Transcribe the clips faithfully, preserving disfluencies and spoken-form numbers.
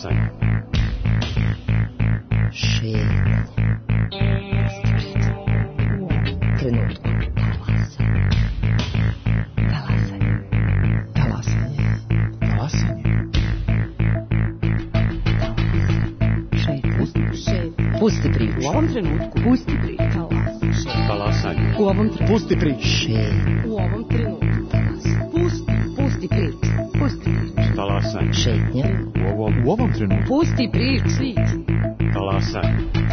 Talasanje. Šetnje. U ovom trenutku. Talasanje. Talasanje. Talasanje. Šetnje. Pusti priču. U ovom trenutku. Pusti priču. Talasanje. U ovom trenutku. Pusti priču. Šetnje. U ovom trenutku. Pusti. Pusti priču. Pusti priču. Talasanje. Šetnje. U ovom, u ovom trenutku. Pusti priču. Talasanje.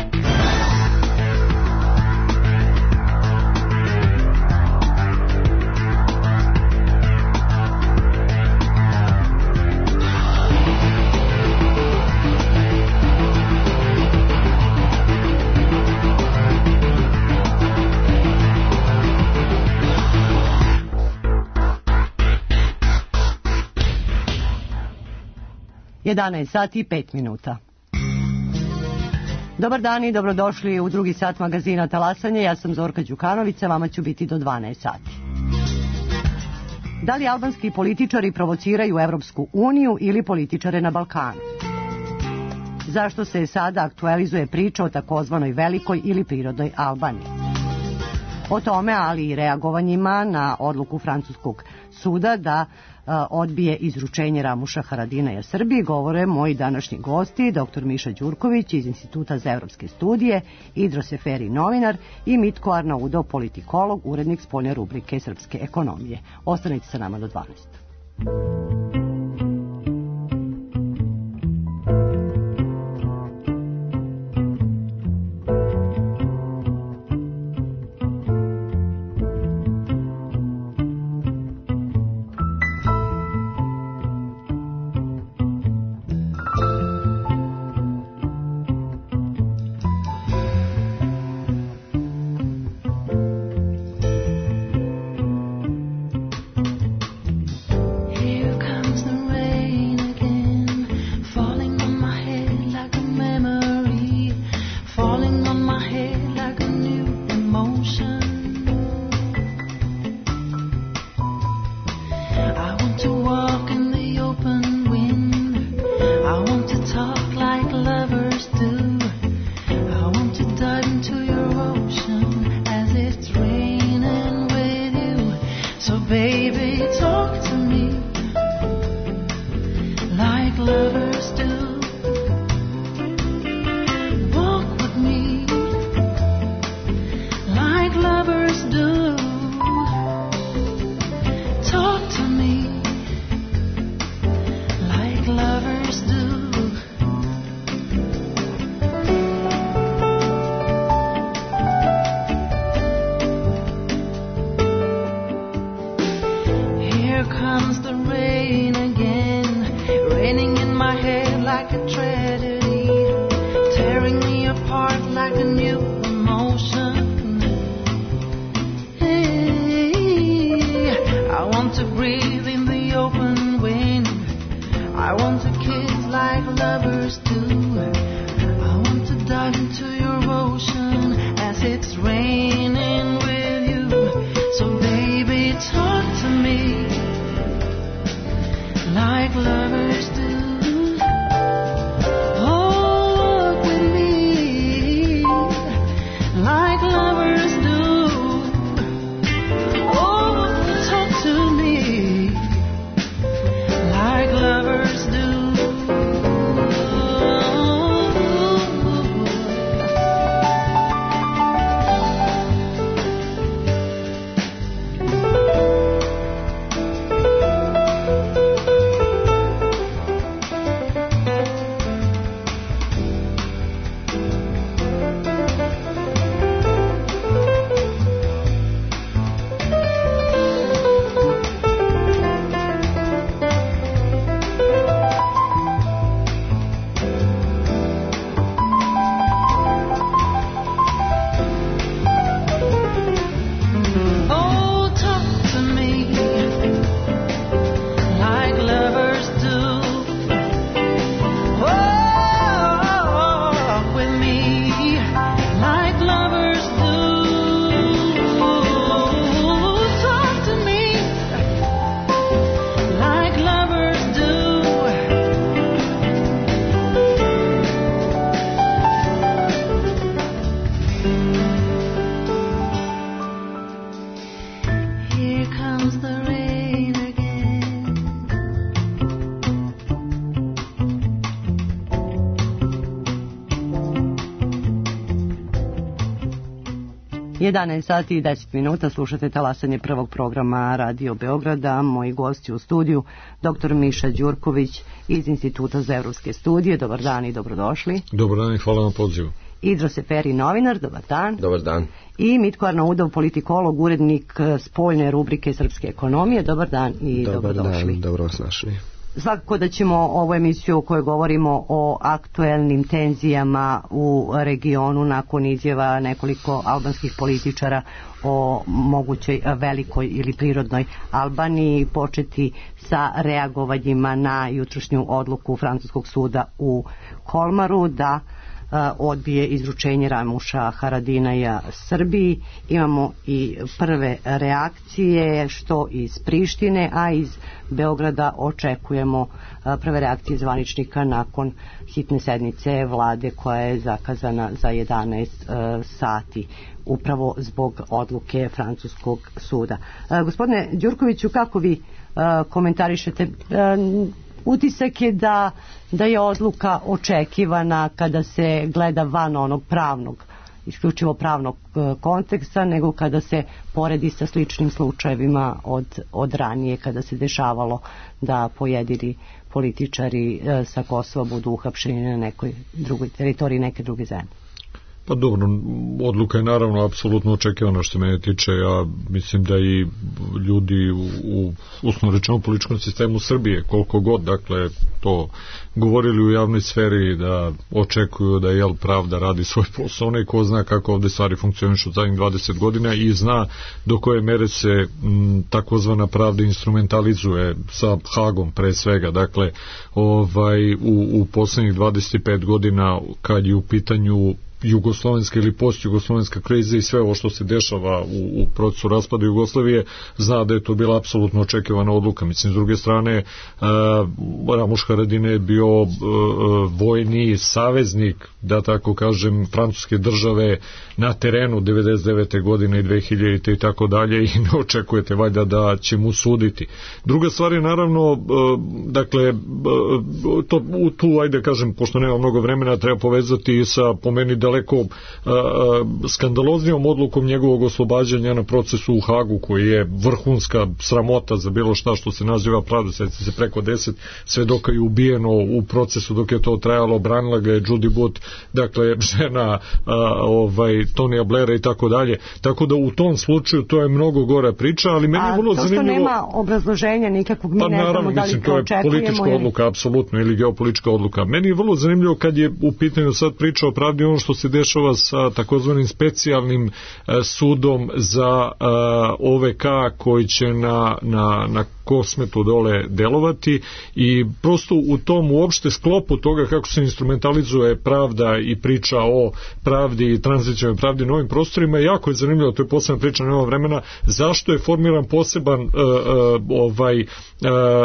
jedanaest sati i pet minuta. Dobar dan i dobrodošli u drugi sat magazina Talasanje. Ja sam Zorka Đukanović, vama ću biti do dvanaest sati. Da li albanski političari provociraju Evropsku uniju ili političare na Balkanu? Zašto se sada aktualizuje priča o takozvanoj velikoj ili prirodnoj Albaniji? O tome, ali i reagovanjima na odluku francuskog suda da a, odbije izručenje Ramuša Haradinaja Srbiji, govore moji današnji gosti, doktor Miša Đurković iz Instituta za evropske studije, Idro Seferi, novinar, i Mitko Arnaudov, politikolog, urednik spoljne rubrike Srpske ekonomije. Ostanite sa nama do dvanaest. jedanaest sati i deset minuta, slušate talasanje prvog programa Radio Beograda. Moji gosti u studiju, doktor Miša Đurković iz Instituta za evropske studije. Dobar dan i dobrodošli. Dobar dan i hvala na pozivu. Idro Seferi, novinar. Dobar dan. Dobar dan. I Mitko Arnaudov, politikolog, urednik spoljne rubrike Srpske ekonomije. Dobar dan i Dobar dobrodošli. Dan, dobro vas našli. Svakako da ćemo ovu emisiju u kojoj govorimo o aktuelnim tenzijama u regionu nakon izjava nekoliko albanskih političara o mogućoj velikoj ili prirodnoj Albaniji početi sa reagovanjima na jutrošnju odluku Francuskog suda u Kolmaru da odbije izručenje Ramuša Haradinaja Srbiji. Imamo i prve reakcije što iz Prištine, a iz Beograda očekujemo prve reakcije zvaničnika nakon hitne sednice vlade koja je zakazana za jedanaest sati upravo zbog odluke Francuskog suda. Gospodine Đurkoviću, kako vi komentarišete? Utisak je da, da je odluka očekivana kada se gleda van onog pravnog, isključivo pravnog konteksta, nego kada se poredi sa sličnim slučajevima od, od ranije, kada se dešavalo da pojedini političari sa Kosova budu uhapšeni na nekoj drugoj teritoriji neke druge zemlje. Pa dobro, odluka je naravno apsolutno očekivana što mene tiče. Ja mislim da i ljudi u, u uslovno rečeno političkom sistemu Srbije, koliko god dakle to govorili u javnoj sferi, da očekuju da jel pravda radi svoj posao, onaj ko zna kako ovde stvari funkcionišu zadnjih dvadeset godina i zna do koje mere se m, takozvana pravda instrumentalizuje sa Hagom pre svega. Dakle, ovaj, u, u poslednjih dvadeset pet godina kad je u pitanju jugoslovenska ili postjugoslovenska kriza i sve ovo što se dešava u, u procesu raspada Jugoslavije, zna da je to bila apsolutno očekivana odluka. Mislim, s druge strane, uh, Ramuš Haradinaj je bio uh, vojni saveznik, da tako kažem, francuske države na terenu devedeset devete godine i dve hiljadite i tako dalje, i ne očekujete valjda da će mu suditi. Druga stvar je naravno, uh, dakle, uh, to, tu, ajde kažem, pošto nema mnogo vremena, treba povezati sa, po meni, daleko uh, skandaloznijom odlukom njegovog oslobađanja na procesu u Hagu, koji je vrhunska sramota za bilo šta što se naziva pravda. Sjeti se, preko deset svedoka je ubijeno u procesu dok je to trajalo, branila ga je Judy Booth, dakle žena uh, ovaj, Tonija Blaira i tako dalje. Tako da u tom slučaju to je mnogo gora priča, ali meni je vrlo zanimljivo. A to što nema obrazloženja nikakvog, mi pa, ne znamo da li to očekujemo. To je politička je... odluka, apsolutno, ili geopolitička odluka. Meni je vrlo zanimljivo kad je u pitanju sad priča o pravdi ono što se dešava sa takozvanim specijalnim uh, sudom za uh, O V K koji će na, na, na Kosmetu dole delovati, i prosto u tom uopšte sklopu toga kako se instrumentalizuje pravda i priča o pravdi i tranzicijnoj pravdi na ovim prostorima, jako je zanimljivo, to je posebna priča, nema vremena, zašto je formiran poseban uh, uh, ovaj uh,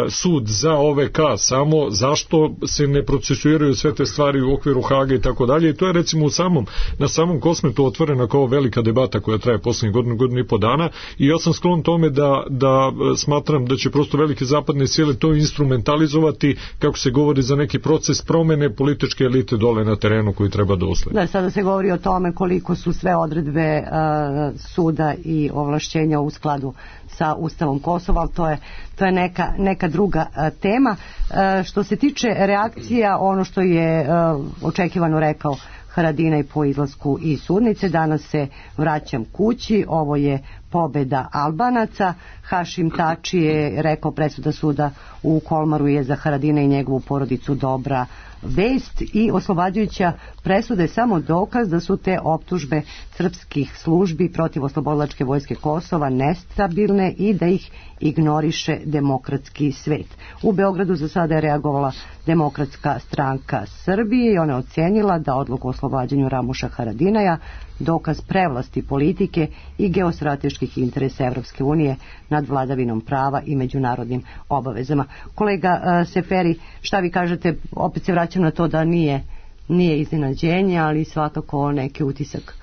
sud za O V K, samo zašto se ne procesuiraju sve te stvari u okviru Haga i tako dalje, i to je recimo u samom, na samom Kosmetu otvorena kao velika debata koja traje poslednjih godinu, godinu i po dana, i ja sam sklon tome da, da smatram da će prosto velike zapadne sile to instrumentalizovati, kako se govori, za neki proces promene političke elite dole na terenu koji treba da usledi. Da, sada se govori o tome koliko su sve odredbe uh, suda i ovlašćenja u skladu sa Ustavom Kosova, ali to je, to je neka, neka druga uh, tema. Uh, što se tiče reakcija, ono što je uh, očekivano rekao Haradinaj po izlasku iz sudnice, danas se vraćam kući, ovo je pobeda Albanaca. Hašim Tači je rekao presuda suda u Kolmaru je za Haradina i njegovu porodicu dobra vest, i oslobađajuća presuda je samo dokaz da su te optužbe srpskih službi protiv oslobodilačke vojske Kosova nestabilne i da ih ignoriše demokratski svet. U Beogradu za sada je reagovala Demokratska stranka Srbije i ona je ocenila da odluku o oslobađanju Ramuša Haradinaja dokaz prevlasti politike i geostrateških interesa Evropske unije nad vladavinom prava i međunarodnim obavezama. Kolega uh, Seferi, šta vi kažete? Opet se vraćam na to da nije, nije iznenađenje, ali svakako neki utisak.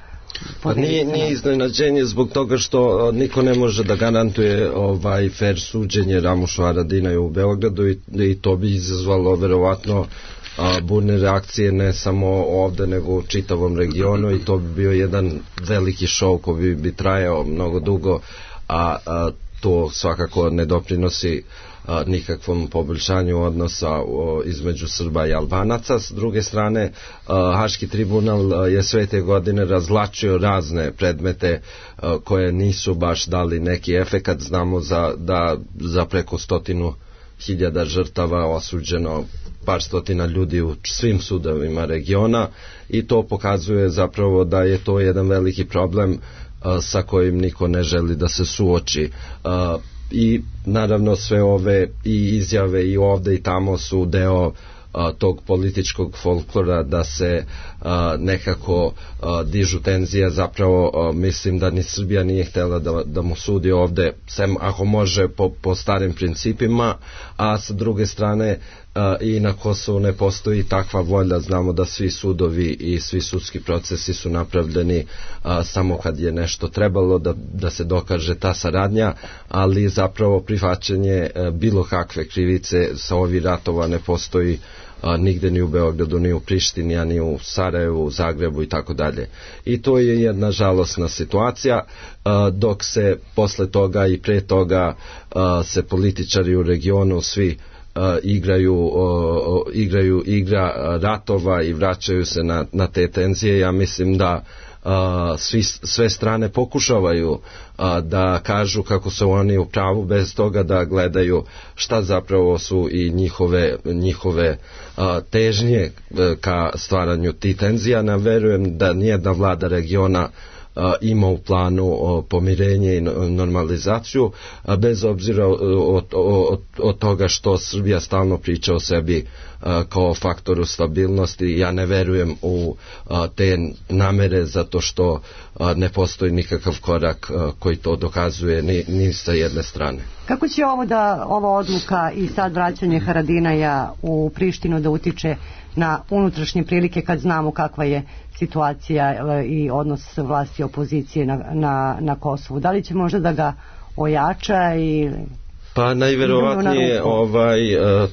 Pa nije, nije iznenađenje zbog toga što niko ne može da garantuje ovaj fair suđenje Ramušu Haradinaju u Beogradu, i, i to bi izazvalo verovatno a, burne reakcije ne samo ovde nego u čitavom regionu i to bi bio jedan veliki šou koji bi, bi trajao mnogo dugo, a, a to svakako ne doprinosi a, nikakvom poboljšanju odnosa o, između Srba i Albanaca. S druge strane, a, Haški tribunal a, je sve te godine razvlačio razne predmete a, koje nisu baš dali neki efekat. Znamo za, da za preko stotinu hiljada žrtava osuđeno par stotina ljudi u svim sudovima regiona i to pokazuje zapravo da je to jedan veliki problem a, sa kojim niko ne želi da se suoči. A, i naravno sve ove i izjave i ovde i tamo su deo a, tog političkog folklora da se a, nekako a, dižu tenzije. Zapravo a, mislim da ni Srbija nije htjela da, da mu sudi ovde, sem ako može po, po starim principima, a sa druge strane a, i na Kosovu ne postoji takva volja. Znamo da svi sudovi i svi sudski procesi su napravljeni a, samo kad je nešto trebalo da, da se dokaže ta saradnja, ali zapravo prihvaćanje a, bilo kakve krivice sa ovih ratova ne postoji a, nigde ni u Beogradu, ni u Prištini, a ni u Sarajevu, Zagrebu i tako dalje. I to je jedna žalosna situacija, a, dok se posle toga i pre toga a, se političari u regionu svi Uh, igraju, uh, igraju igra ratova i vraćaju se na, na te tenzije. Ja mislim da uh, svi, sve strane pokušavaju uh, da kažu kako su oni u pravu bez toga da gledaju šta zapravo su i njihove, njihove uh, težnje uh, ka stvaranju tih tenzija. Ja verujem da nijedna vlada regiona A, ima u planu o, pomirenje i normalizaciju, a bez obzira od, od, od toga što Srbija stalno priča o sebi a, kao faktoru stabilnosti. Ja ne verujem u a, te namere zato što a, ne postoji nikakav korak a, koji to dokazuje ni, ni sa jedne strane. Kako će ovo da, ova odluka i sad vraćanje Haradinaja u Prištinu da utiče na unutrašnje prilike kad znamo kakva je situacija i odnos vlasti i opozicije na, na, na Kosovu? Da li će možda da ga ojača i... Pa najverovatnije ovaj,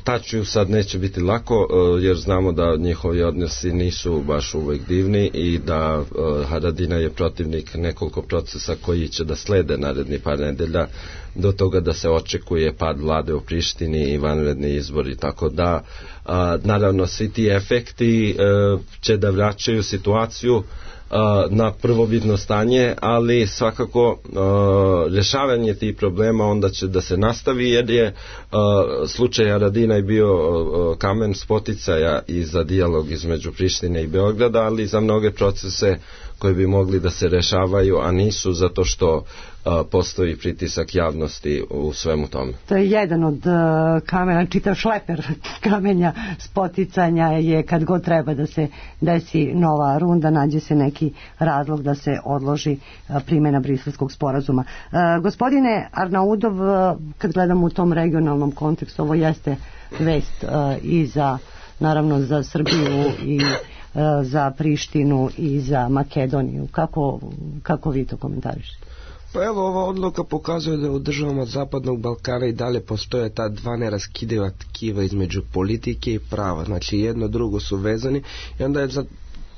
taču sad neće biti lako jer znamo da njihovi odnosi nisu baš uvek divni i da Haradina je protivnik nekoliko procesa koji će da slede naredni par nedelja do toga da se očekuje pad vlade u Prištini i vanredni izbori, tako da a, naravno svi ti efekti a, će da vraćaju situaciju a, na prvobitno stanje, ali svakako a, rješavanje tih problema onda će da se nastavi jer je a, slučaj Haradina je bio a, kamen spoticaja i za dijalog između Prištine i Beograda, ali i za mnoge procese koji bi mogli da se rešavaju, a nisu zato što a, postoji pritisak javnosti u svemu tome. To je jedan od uh, kamena, čitav šleper kamenja spoticanja je kad god treba da se desi nova runda, nađe se neki razlog da se odloži uh, primjena Briselskog sporazuma. Uh, gospodine Arnaudov, uh, kad gledamo u tom regionalnom kontekstu, ovo jeste vest uh, i za, naravno, za Srbiju i za Prištinu i za Makedoniju. Kako, kako vi to komentarišete? Pa evo, ova odluka pokazuje da u državama Zapadnog Balkana i dalje postoje ta dva neraskidiva tkiva između politike i prava. Znači jedno drugo su vezani i onda je za,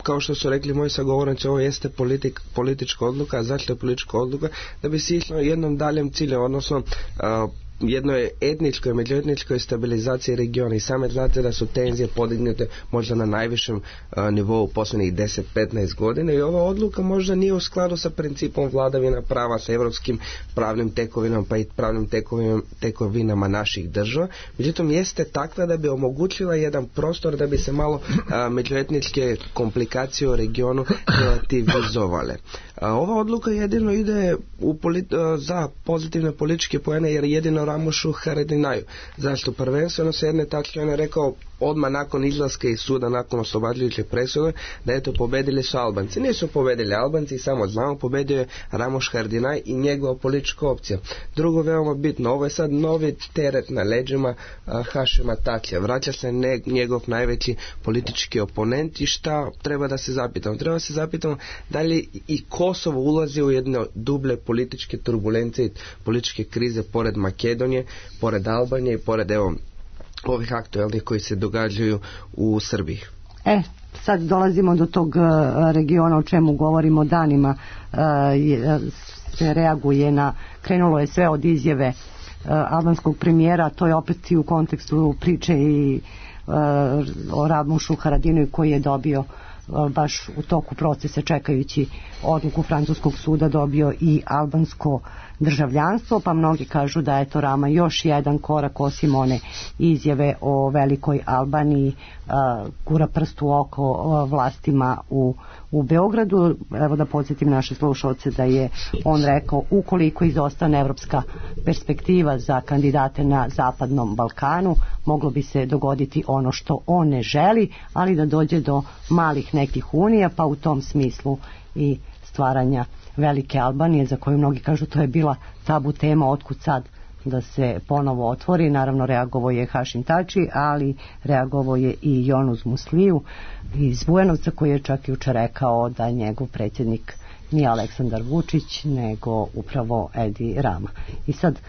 kao što su rekli moji sagovornici, ovo jeste politik, politička odluka, a zašto je politička odluka? Da bi se išlo jednom daljem cilju, odnosno a, jedno je etničko i međuetničkoj stabilizaciji regiona i same znate da su tenzije podignute možda na najvišem uh, nivou posljednjih deset do petnaest godina i ova odluka možda nije u skladu sa principom vladavina prava, sa evropskim pravnim tekovinama pa i pravnim tekovinama, tekovinama naših država. Međutim, jeste takva da bi omogućila jedan prostor da bi se malo uh, međuetničke komplikacije u regionu relativizovale. Uh, ova odluka jedino ide u polit, uh, za pozitivne političke poene jer jedino Ramušu Haradinaju. Zašto? Prvenstveno se jedne tačke on je rekao odmah nakon izlaska iz suda, nakon oslobađajuće presude, da eto pobedili su Albanci. Nisu pobedili Albanci, samo znamo, pobedio je Ramuš Haradinaj i njegova politička opcija. Drugo, veoma bitno, ovo je sad novi teret na leđima uh, Hašima Tačija. Vraća se ne, njegov najveći politički oponent i šta treba da se zapitamo? Treba da se zapitamo da li i Kosovo ulazi u jedne duble političke turbulencije i političke krize pored Makedonije, pored Albanije i pored evo ovih aktualnih koji se događaju u Srbiji. E, sad dolazimo do tog uh, regiona o čemu govorimo danima, uh, je, se reaguje na, krenulo je sve od izjave uh, albanskog premijera, to je opet i u kontekstu priče i uh, o Ramušu Haradinaju koji je dobio baš u toku procesa čekajući odluku francuskog suda dobio i albansko državljanstvo, pa mnogi kažu da je to Rama još jedan korak osim one izjave o velikoj Albaniji, gura prst u oko vlastima u, u Beogradu. Evo da podsjetim naše slušalce da je on rekao ukoliko izostane evropska perspektiva za kandidate na Zapadnom Balkanu, moglo bi se dogoditi ono što on ne želi, ali da dođe do malih nekih unija, pa u tom smislu i stvaranja velike Albanije, za koju mnogi kažu to je bila tabu tema, otkud sad da se ponovo otvori. Naravno reagovao je Hašim Tači, ali reagovao je i Jonuz Musliju iz Bujanovca, koji je čak jučer rekao da njegov predsjednik nije Aleksandar Vučić nego upravo Edi Rama. I sad,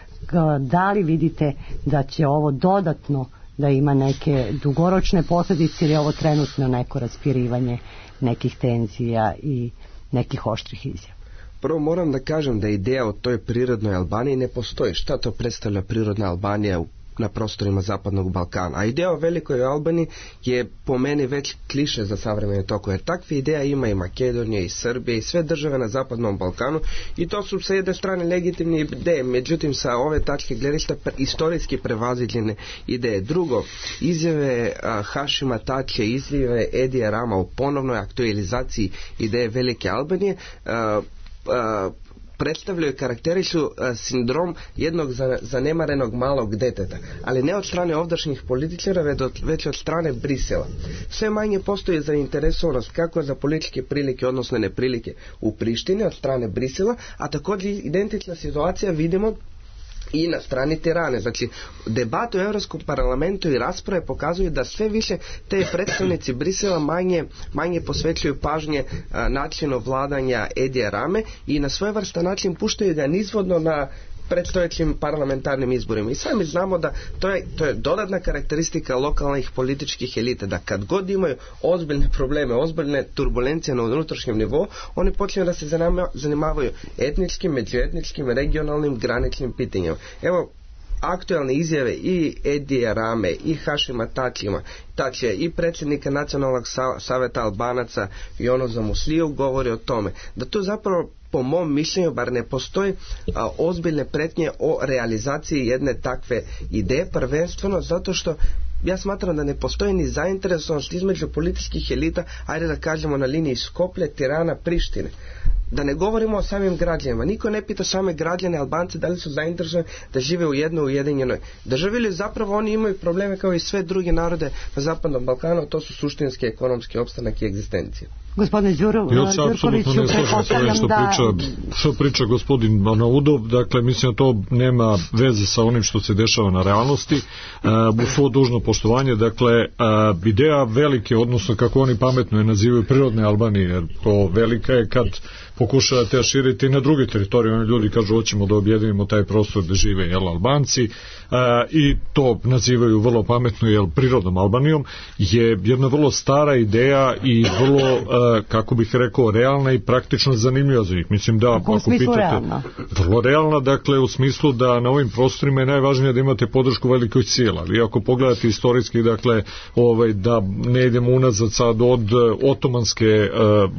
da li vidite da će ovo dodatno da ima neke dugoročne posljedice ili je ovo trenutno neko raspirivanje nekih tenzija i nekih oštrih izjava? Prvo moram da kažem da ideja o toj prirodnoj Albaniji ne postoji. Šta to predstavlja prirodna Albanija u na prostorima Zapadnog Balkana. A ideja o velikoj Albaniji je po meni već kliše za savremene tokove. Jer takve ideja ima i Makedonija i Srbija i sve države na Zapadnom Balkanu i to su sa jedne strane legitimne ideje. Međutim, sa ove tačke gledišta istorijski prevaziđene ideje. Drugo, izjave a, Hašima Tače, izjave Edija Rama u ponovnoj aktualizaciji ideje velike Albanije a, a, predstavljaju, karakterišu a, sindrom jednog zanemarenog malog deteta, ali ne od strane ovdašnjih političara, već od strane Brisela. Sve manje postoji zainteresovanost kako za političke prilike, odnosno neprilike u Prištini od strane Brisela, a također identična situacija vidimo i na strani Tirane. Znači, debate u Europskom parlamentu i rasprave pokazuju da sve više te predstavnici Brisela manje, manje posvećuju pažnje a, načinu vladanja Edija Rame i na svojevrstan način puštaju ga nizvodno na predstojećim parlamentarnim izborima. I sami znamo da to je, to je dodatna karakteristika lokalnih političkih elita, da kad god imaju ozbiljne probleme, ozbiljne turbulencije na unutrašnjem nivou, oni počinju da se zanimavaju etničkim, međuetničkim, regionalnim, graničnim pitanjima. Evo, aktualne izjave i Edija Rame i Hašima Tačima, Tačija i predsjednika Nacionalnog saveta Albanaca Jonuza Musliju govori o tome da to zapravo po mom mišljenju bar ne postoji a, ozbiljne pretnje o realizaciji jedne takve ideje, prvenstveno zato što ja smatram da ne postoji ni zainteresovanost između političkih elita, ajde da kažemo na liniji Skoplje, Tirana, Prištine. Da ne govorimo o samim građanima. Niko ne pita same građane Albance da li su zainteresovani da žive u jednoj ujedinjenoj državi ili zapravo oni imaju probleme kao i sve druge narode na Zapadnom Balkanu, to su suštinski ekonomski opstanak i egzistencija. Gospodine Đuro, ja se apsolutno ne slažem sa ovim što da... priča, što priča gospodin Manaudov, dakle mislim da to nema veze sa onim što se dešava na realnosti. Uh, u svo dužno poštovanje, dakle uh, ideja velike, odnosno kako oni pametno je nazivaju prirodne Albanije, jer to velika je kad pokušavate širiti na druge teritorije, oni ljudi kažu hoćemo da objedinimo taj prostor gde žive jel, Albanci uh, i to nazivaju vrlo pametno jel, prirodnom Albanijom, je jedna vrlo stara ideja i vrlo uh, kako bih rekao, realna i praktično zanimljiva za njih. Mislim da, ako pitate, realna? Vrlo realna, dakle, u smislu da na ovim prostorima je najvažnije da imate podršku velikih sila. Ali ako pogledate istorijski, dakle, ovaj, da ne idemo unazad sad od otomanske uh,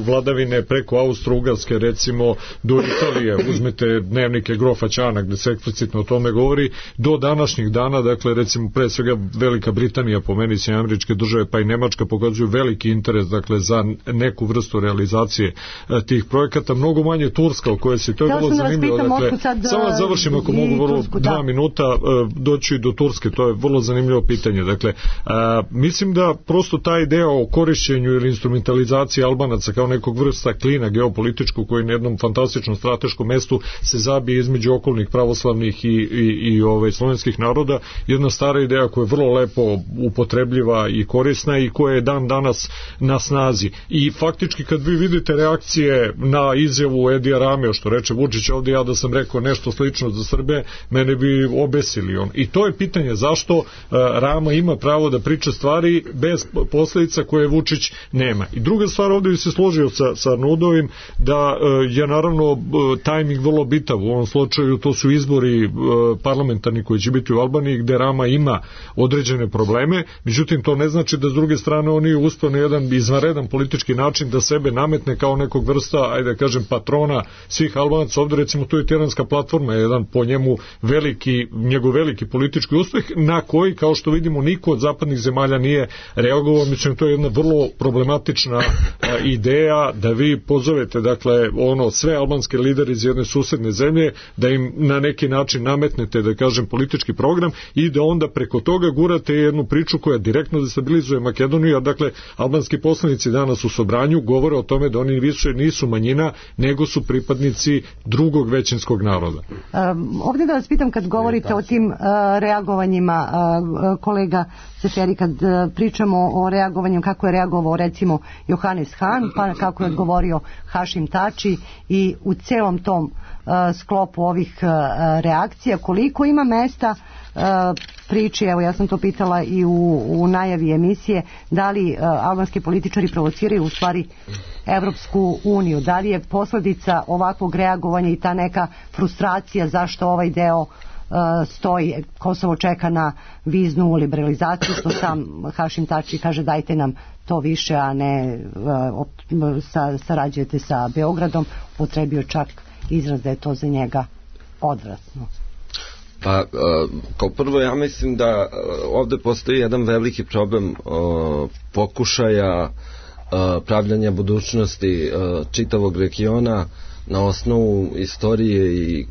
vladavine preko Austro-Ugarske, recimo, do Italije, uzmete dnevnike Grofa Ćana, gde se eksplicitno o tome govori, do današnjih dana, dakle, recimo, pre svega Velika Britanija, po meni se američke države, pa i Nemačka pokazuju veliki interes, dakle, za neku vrstu realizacije uh, tih projekata, mnogo manje Turska, o kojoj se to je vrlo zanimljivo. Dakle, sad, samo da završim ako mogu vrlo Tursku, dva da. minuta uh, doći do Turske, to je vrlo zanimljivo pitanje. Dakle, uh, mislim da prosto ta ideja o korišćenju ili instrumentalizaciji Albanaca kao nekog vrsta klina geopolitičkog koji na jednom fantastičnom strateškom mestu se zabije između okolnih pravoslavnih i, i, i ovaj, slovenskih naroda, jedna stara ideja koja je vrlo lepo upotrebljiva i korisna i koja je dan danas na snazi. i faktički kad vi vidite reakcije na izjavu Edija Ramea, što reče Vučić ovdje, ja da sam rekao nešto slično za Srbe, mene bi obesili on. I to je pitanje zašto uh, Rama ima pravo da priča stvari bez posljedica koje Vučić nema. I druga stvar, ovdje bi se složio sa, sa Nudovim da uh, je naravno uh, tajming vrlo bitav. U ovom slučaju to su izbori uh, parlamentarni koji će biti u Albaniji, gde Rama ima određene probleme, međutim to ne znači da s druge strane oni uspeo na jedan izvanredan politički način da sebe nametne kao nekog vrsta, ajde da kažem, patrona svih Albanaca. Ovdje recimo tu je Tiranska platforma, jedan po njemu veliki, njegov veliki politički uspeh, na koji, kao što vidimo, niko od zapadnih zemalja nije reagovao. Mislim, to je jedna vrlo problematična a, ideja da vi pozovete, dakle, ono, sve albanske lidere iz jedne susedne zemlje, da im na neki način nametnete, da kažem, politički program i da onda preko toga gurate jednu priču koja direktno destabilizuje Makedoniju. Dakle, albanski poslanici danas u Sobranju govore o tome da oni više nisu manjina, nego su pripadnici drugog većinskog naroda. Um, ovdje da vas pitam, kad govorite o tim uh, reagovanjima, uh, kolega Seferi, kad uh, pričamo o reagovanju, kako je reagovao recimo Johannes Han, pa kako je odgovorio Hašim Tači, i u celom tom uh, sklopu ovih uh, reakcija, koliko ima mesta uh, priči, evo ja sam to pitala i u, u najavi emisije, da li uh, albanski političari provociraju u stvari Evropsku uniju, da li je posljedica ovakvog reagovanja i ta neka frustracija zašto ovaj deo uh, stoji, Kosovo čeka na viznu liberalizaciju, što sam Hašim Tači kaže dajte nam to više, a ne uh, sa, sarađujete sa Beogradom, potrebio čak izraz da je to za njega odvratno. Pa, kao prvo ja mislim da ovdje postoji jedan veliki problem pokušaja pravljanja budućnosti čitavog regiona na osnovu istorije i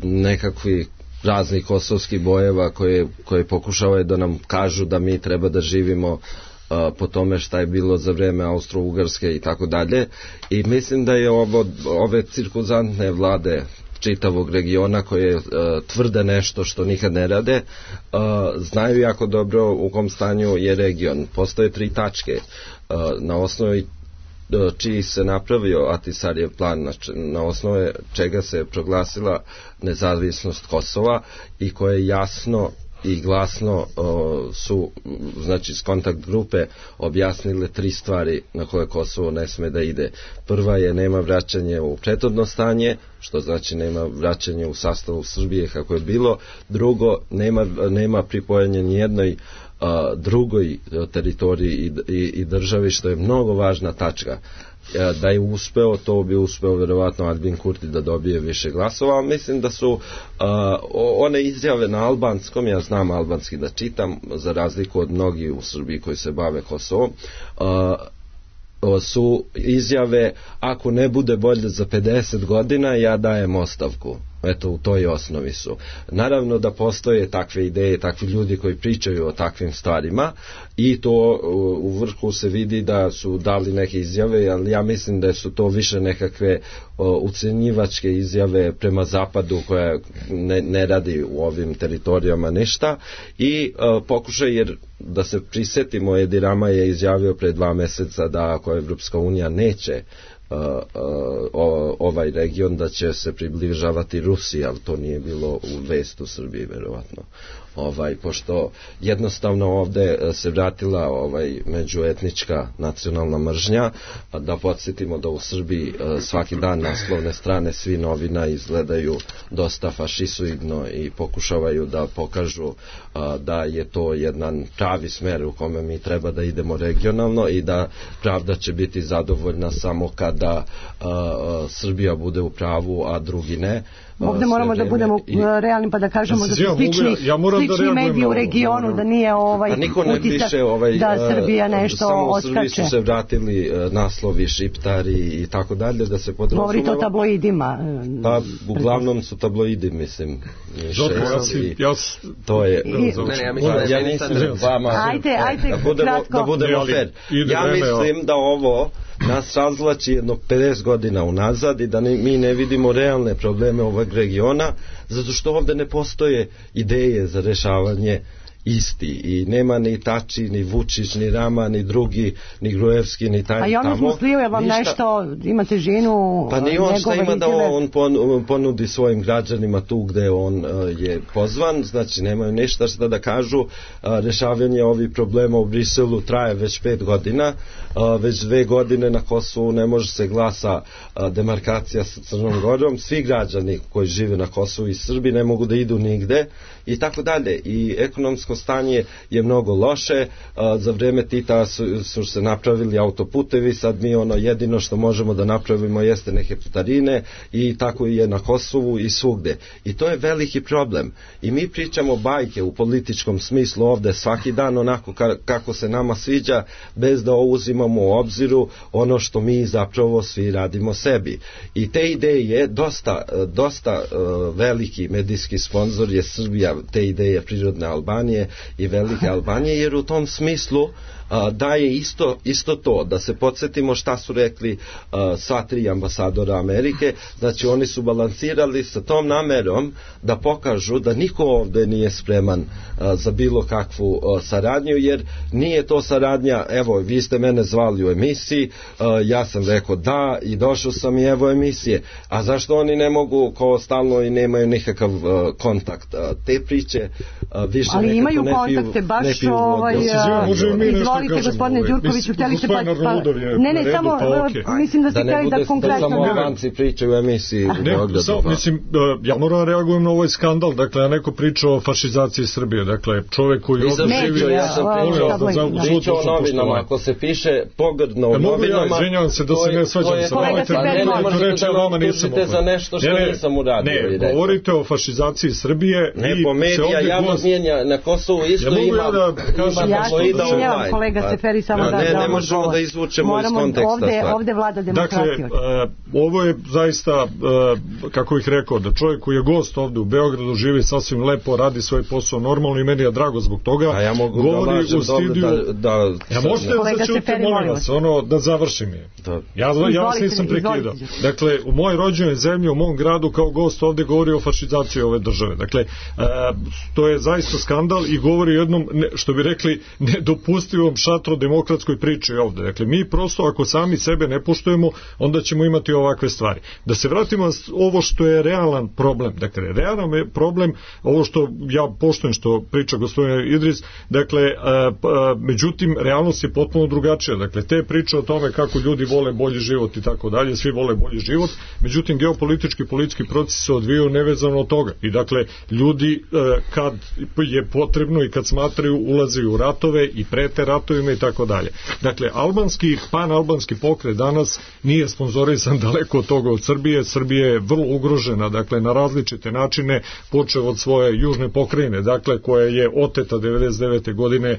nekakvih raznih kosovskih bojeva koje, koje pokušavaju da nam kažu da mi treba da živimo po tome šta je bilo za vreme Austro-Ugarske i tako dalje. I mislim da je ovo, ove cirkuzantne vlade čitavog regiona koje uh, tvrde nešto što nikad ne rade, uh, znaju jako dobro u kom stanju je region. Postoje tri tačke uh, na osnovi uh, čiji se napravio Ahtisarijev plan, znači, na osnovu čega se proglasila nezavisnost Kosova i koje jasno i glasno o, su, znači, s kontakt grupe objasnile tri stvari na koje Kosovo ne sme da ide. Prva je nema vraćanje u prethodno stanje, što znači nema vraćanje u sastavu Srbije kako je bilo. Drugo, nema, nema pripojanje nijednoj a, drugoj teritoriji i, i, i državi, što je mnogo važna tačka. Da je uspeo, to bi uspeo verovatno Albin Kurti da dobije više glasova, ali mislim da su uh, one izjave na albanskom, ja znam albanski da čitam, za razliku od mnogih u Srbiji koji se bave Kosovom, uh, su izjave ako ne bude bolje za pedeset godina ja dajem ostavku. Eto, u toj osnovi su. Naravno da postoje takve ideje, takvi ljudi koji pričaju o takvim stvarima i to u vrhu se vidi da su dali neke izjave, ali ja mislim da su to više nekakve o, ucenjivačke izjave prema zapadu koja ne, ne radi u ovim teritorijama ništa i o, pokušaj, jer da se prisetimo, Edi Rama je izjavio pre dva meseca da ako Evropska unija neće Uh, uh, o, ovaj region da će se približavati Rusiji, ali to nije bilo u vest u Srbiji verovatno. Ovaj, pošto jednostavno ovde se vratila ovaj međuetnička nacionalna mržnja, da podsjetimo da u Srbiji svaki dan naslovne strane svi novina izgledaju dosta fašisoidno i pokušavaju da pokažu da je to jedan pravi smer u kome mi treba da idemo regionalno i da pravda će biti zadovoljna samo kada Srbija bude u pravu, a drugi ne. Ovdje moramo da budemo i, realni pa da kažemo da su slični, ja, ja slični mediji u regionu, da nije ovaj utisak ovaj, da Srbija nešto samo oskače. Samo u Srbiji su se vratili uh, naslovi šiptari i tako dalje, da se podrazumeva. Govorite o tabloidima. Pa uglavnom su tabloidi, mislim. To je... Ja nisam vama... Ajde, ajde, da budemo, da budemo fair. Ja mislim da ovo nas razvlači jedno pedeset godina unazad i da ne, mi ne vidimo realne probleme ovog regiona, zato što ovdje ne postoje ideje za rešavanje isti i nema ni Tači, ni Vučić, ni Rama, ni drugi, ni Gruevski, ni taj tamo. A i ono smo slio, je vam ništa... nešto, imate ženu, pa ni on šta ima da vidjele... on ponudi svojim građanima tu gde on uh, je pozvan, znači nemaju ništa šta da kažu. Uh, rešavanje ovih problema u Briselu traje već pet godina, uh, već dve godine na Kosovu ne može se glasa uh, demarkacija sa Crnom Gorom, svi građani koji žive na Kosovu i Srbi ne mogu da idu nigde i tako dalje. I ekonomsko stanje je mnogo loše, uh, za vreme Tita su, su se napravili autoputevi, sad mi ono jedino što možemo da napravimo jeste neke putarine i tako je na Kosovu i svugde. I to je veliki problem. I mi pričamo bajke u političkom smislu ovde svaki dan onako ka, kako se nama sviđa, bez da uzimamo u obziru ono što mi zapravo svi radimo sebi. I te ideje, dosta, dosta uh, veliki medijski sponsor je Srbija, te ideje prirodne Albanije i velike Albanije, jer u tom smislu Uh, da je isto, isto to, da se podsjetimo šta su rekli uh, sva tri ambasadora Amerike, znači oni su balansirali sa tom namerom da pokažu da niko ovde nije spreman uh, za bilo kakvu uh, saradnju, jer nije to saradnja, evo vi ste mene zvali u emisiji, uh, ja sam rekao da i došao sam i evo emisije, a zašto oni ne mogu kao stalno i nemaju nikakav uh, kontakt, uh, te priče uh, više ali imaju ne kontakte piju, baš ne piju ovaj, izvolite gospodine Đurkoviću, htjeli ste pa, pa ne ne samo pa, okay. mislim da ste da htjeli da konkretno samo Albanci pričaju u emisiji u Beogradu. Mislim, ja moram reagujem na ovaj skandal, dakle ja neko priča o fašizaciji Srbije, dakle čovjek koji ovdje živi, ja sam pričao o novinama, ako se piše pogrdno u novinama, izvinjavam se da se ne svađam sa vama, ne možete da vam tužite za nešto što nisam uradio. Ne, govorite o fašizaciji Srbije ne, po medija javnog mijenja na Kosovu isto ima ja se izvinjavam kolega Seferi samo da ne, ne možemo da izvučemo iz konteksta ovde, ovde vlada demokratija. Dakle, uh, ovo je zaista, uh, kako bih rekao, da čovjek koji je gost ovde u Beogradu živi sasvim lepo, radi svoj posao normalno i meni je drago zbog toga. A ja mogu govori da lažem studiju, da, da... Ja možete da začuti, molim vas, ono, da završim je. Da. Ja, ja vas nisam prekidao. Dakle, u mojoj rođenoj zemlji, u mom gradu kao gost ovde govori o fašizaciji ove države. Dakle, uh, to je zaista skandal i govori o jednom, ne, što bi rekli, nedopustivom šatro demokratskoj priči ovde. Dakle, mi prosto ako sami sebe ne poštujemo, onda ćemo imati ovakve stvari. Da se vratimo ovo što je realan problem. Dakle, realan je problem, ovo što ja poštujem što priča gospodin Idris, dakle, a, a, međutim, realnost je potpuno drugačija. Dakle, te priče o tome kako ljudi vole bolji život i tako dalje, svi vole bolji život, međutim, geopolitički i politički proces se odvijaju nevezano od toga. I dakle, ljudi a, kad je potrebno i kad smatraju ulaze u ratove i prete ratovima i tako dalje. Dakle, albanski, pan-albanski pokret danas nije sponzorisan daleko od toga od Srbije. Srbija je vrlo ugrožena, dakle, na različite načine, počeo od svoje južne pokrajine, dakle, koja je oteta devedeset devete godine e,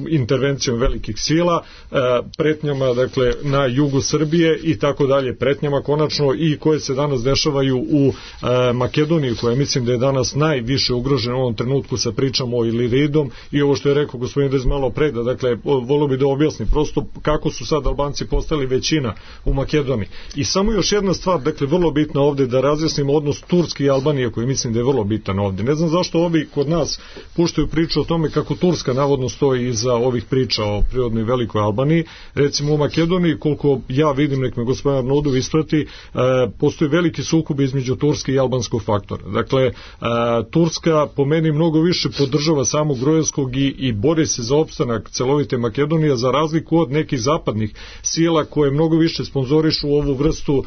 intervencijom velikih sila, e, pretnjama, dakle, na jugu Srbije i tako dalje, pretnjama konačno i koje se danas dešavaju u e, Makedoniji, koja mislim da je danas najviše ugrožena u ovom trenutku sa pričamo o Iliridom i ovo što je rekao gospodin Dez malo pre, da, dakle, volio bi da objasni prosto kako su sad Albanci postali većina u Makedoniji. I samo još jedna stvar, dakle, vrlo bitna ovde da razjasnimo odnos Turske i Albanije, koji mislim da je vrlo bitan ovde. Ne znam zašto ovi kod nas puštaju priču o tome kako Turska navodno stoji iza ovih priča o prirodnoj velikoj Albaniji. Recimo u Makedoniji, koliko ja vidim, nek me gospodin Arnaudov isprati, e, postoji veliki sukob između Turske i albanskog faktora. Dakle, e, Turska po meni mnogo više podržava samog Gruevskog i, i bori se za opstanak celovite Makedonije, za razliku od nekih zapadnih sila koje mnogo više sponzorišu ovu vrstu uh,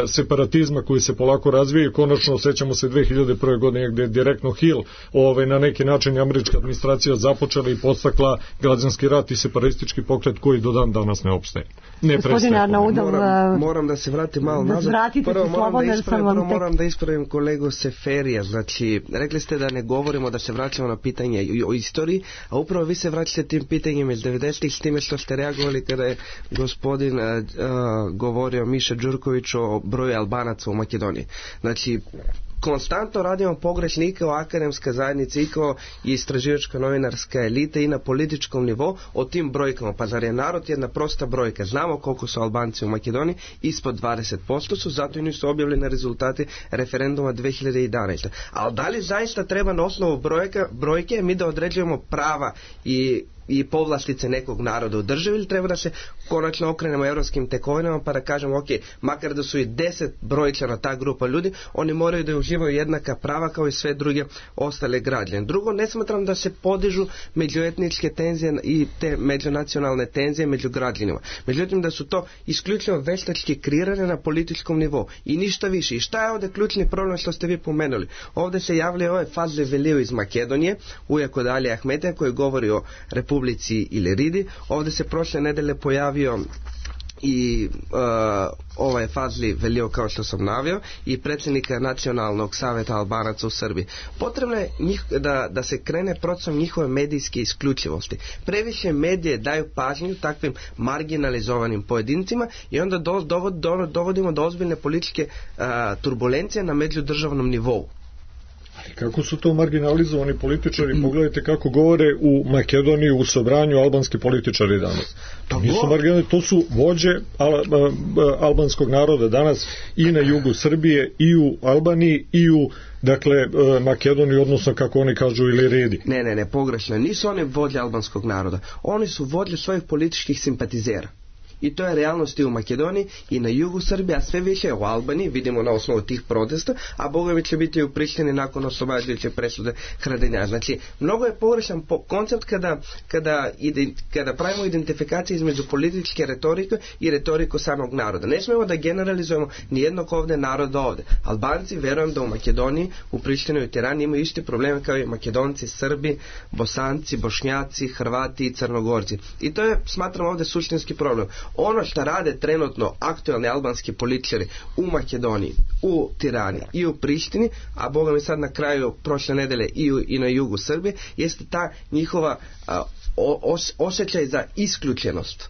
separatizma koji se polako razvija i konačno sećamo se dve hiljade prve godine gde je direktno Hill ovaj, na neki način američka administracija započela i podstakla građanski rat i separatistički pokret koji do dan danas ne opstaje. Ne Gospodin Arnaudov, moram, moram da se vratim malo da nazad. Prvo, moram da, ispravim, prvo tek... moram da ispravim kolegu Seferija. Znači, rekli ste da ne govorimo, da se vraćamo na pitanje o istoriji, a upravo vi se vraćate tim pitanjem iz devedesetih s time što ste reagovali kada je gospodin uh, uh, govorio Miša Đurković o broju Albanaca u Makedoniji. Znači, konstantno radimo pogrešne i kao akademska zajednica i kao istraživačka novinarska elita i na političkom nivou o tim brojkama. Pa zar je narod jedna prosta brojka? Znamo koliko su Albanci u Makedoniji, ispod dvadeset posto su, zato i nisu objavljeni rezultati referenduma dve hiljade jedanaeste. Ali da li zaista treba na osnovu brojka, brojke mi da određujemo prava i i povlastice nekog naroda u državi, ili treba da se konačno okrenemo evropskim tekovinama pa da kažemo, ok, makar da su i deset brojčana ta grupa ljudi, oni moraju da uživaju jednaka prava kao i sve druge ostale građane. Drugo, ne smatram da se podižu međuetničke tenzije i te međunacionalne tenzije među građanima. Međutim, da su to isključivo veštački kreirane na političkom nivou i ništa više. I šta je ovdje ključni problem što ste vi pomenuli? Ovdje se javlja ovaj Fazli Velio iz Makedonije, ujako Dalija Ahmetija, koji govori o Republici Iliridi. Ovdje se prošle nedelje pojavio i uh, ovaj Fazli Velio, kao što sam naveo, i predsjednika Nacionalnog savjeta Albanaca u Srbiji. Potrebno je njih, da, da se krene procesom njihove medijske isključivosti. Previše medije daju pažnju takvim marginalizovanim pojedincima i onda do, dovod, do, dovodimo do ozbiljne političke uh, turbulencije na međudržavnom nivou. Kako su to marginalizovani političari? Mm. Pogledajte kako govore u Makedoniji u Sobranju albanski političari danas. To, nisu marginalizovani, to su vođe al, albanskog naroda danas i na jugu Srbije, i u Albaniji, i u dakle Makedoniji, odnosno kako oni kažu Iliridi. Ne, ne, ne, pogrešno. Nisu oni vođe albanskog naroda. Oni su vođe svojih političkih simpatizera. I to je realnost i u Makedoniji i na jugu Srbije, a sve više u Albaniji, vidimo na osnovu tih protesta, a Bogovi će biti u Prištini nakon oslobađajuće presude Haradinja. Znači, mnogo je pogrešan po koncept kada, kada, ide, kada pravimo identifikaciju između političke retorike i retoriku samog naroda. Ne smijemo da generalizujemo nijednog ovdje naroda ovdje. Albanci, verujem da u Makedoniji, u Prištini i u Tirani imaju isti probleme kao i Makedonci, Srbi, Bosanci, Bošnjaci, Hrvati i Crnogorci. I to je, smatram, ovdje suštinski problem. Ono što rade trenutno aktualni albanski političari u Makedoniji, u Tirani i u Prištini, a Boga mi sad na kraju prošle nedelje i, u, i na jugu Srbije, jeste ta njihova a, os, osjećaj za isključenost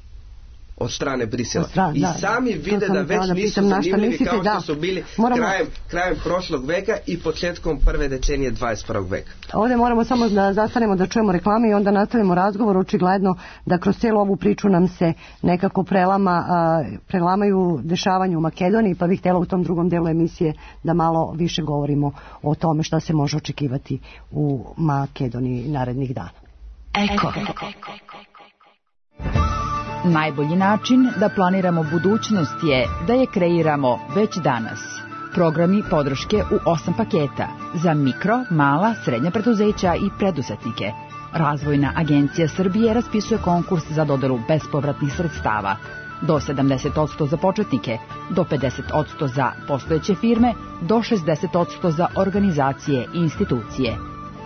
od strane Brisela. Stran, I da, sami vide da već da nisu zanimljivi mislite, kao što su bili moramo... krajem, krajem prošlog veka i početkom prve decenije dvadeset prvog veka. Ovdje moramo samo da zastanemo da čujemo reklame i onda nastavimo razgovor. Očigledno da kroz cijelu ovu priču nam se nekako prelama, a, prelamaju dešavanja u Makedoniji, pa bih htjela u tom drugom delu emisije da malo više govorimo o tome šta se može očekivati u Makedoniji narednih dana. Eko. Najbolji način da planiramo budućnost je da je kreiramo već danas. Programi podrške u osam paketa za mikro, mala, srednja preduzeća i preduzetnike. Razvojna agencija Srbije raspisuje konkurs za dodelu bespovratnih sredstava. Do sedamdeset posto za početnike, do pedeset posto za postojeće firme, do šezdeset posto za organizacije i institucije.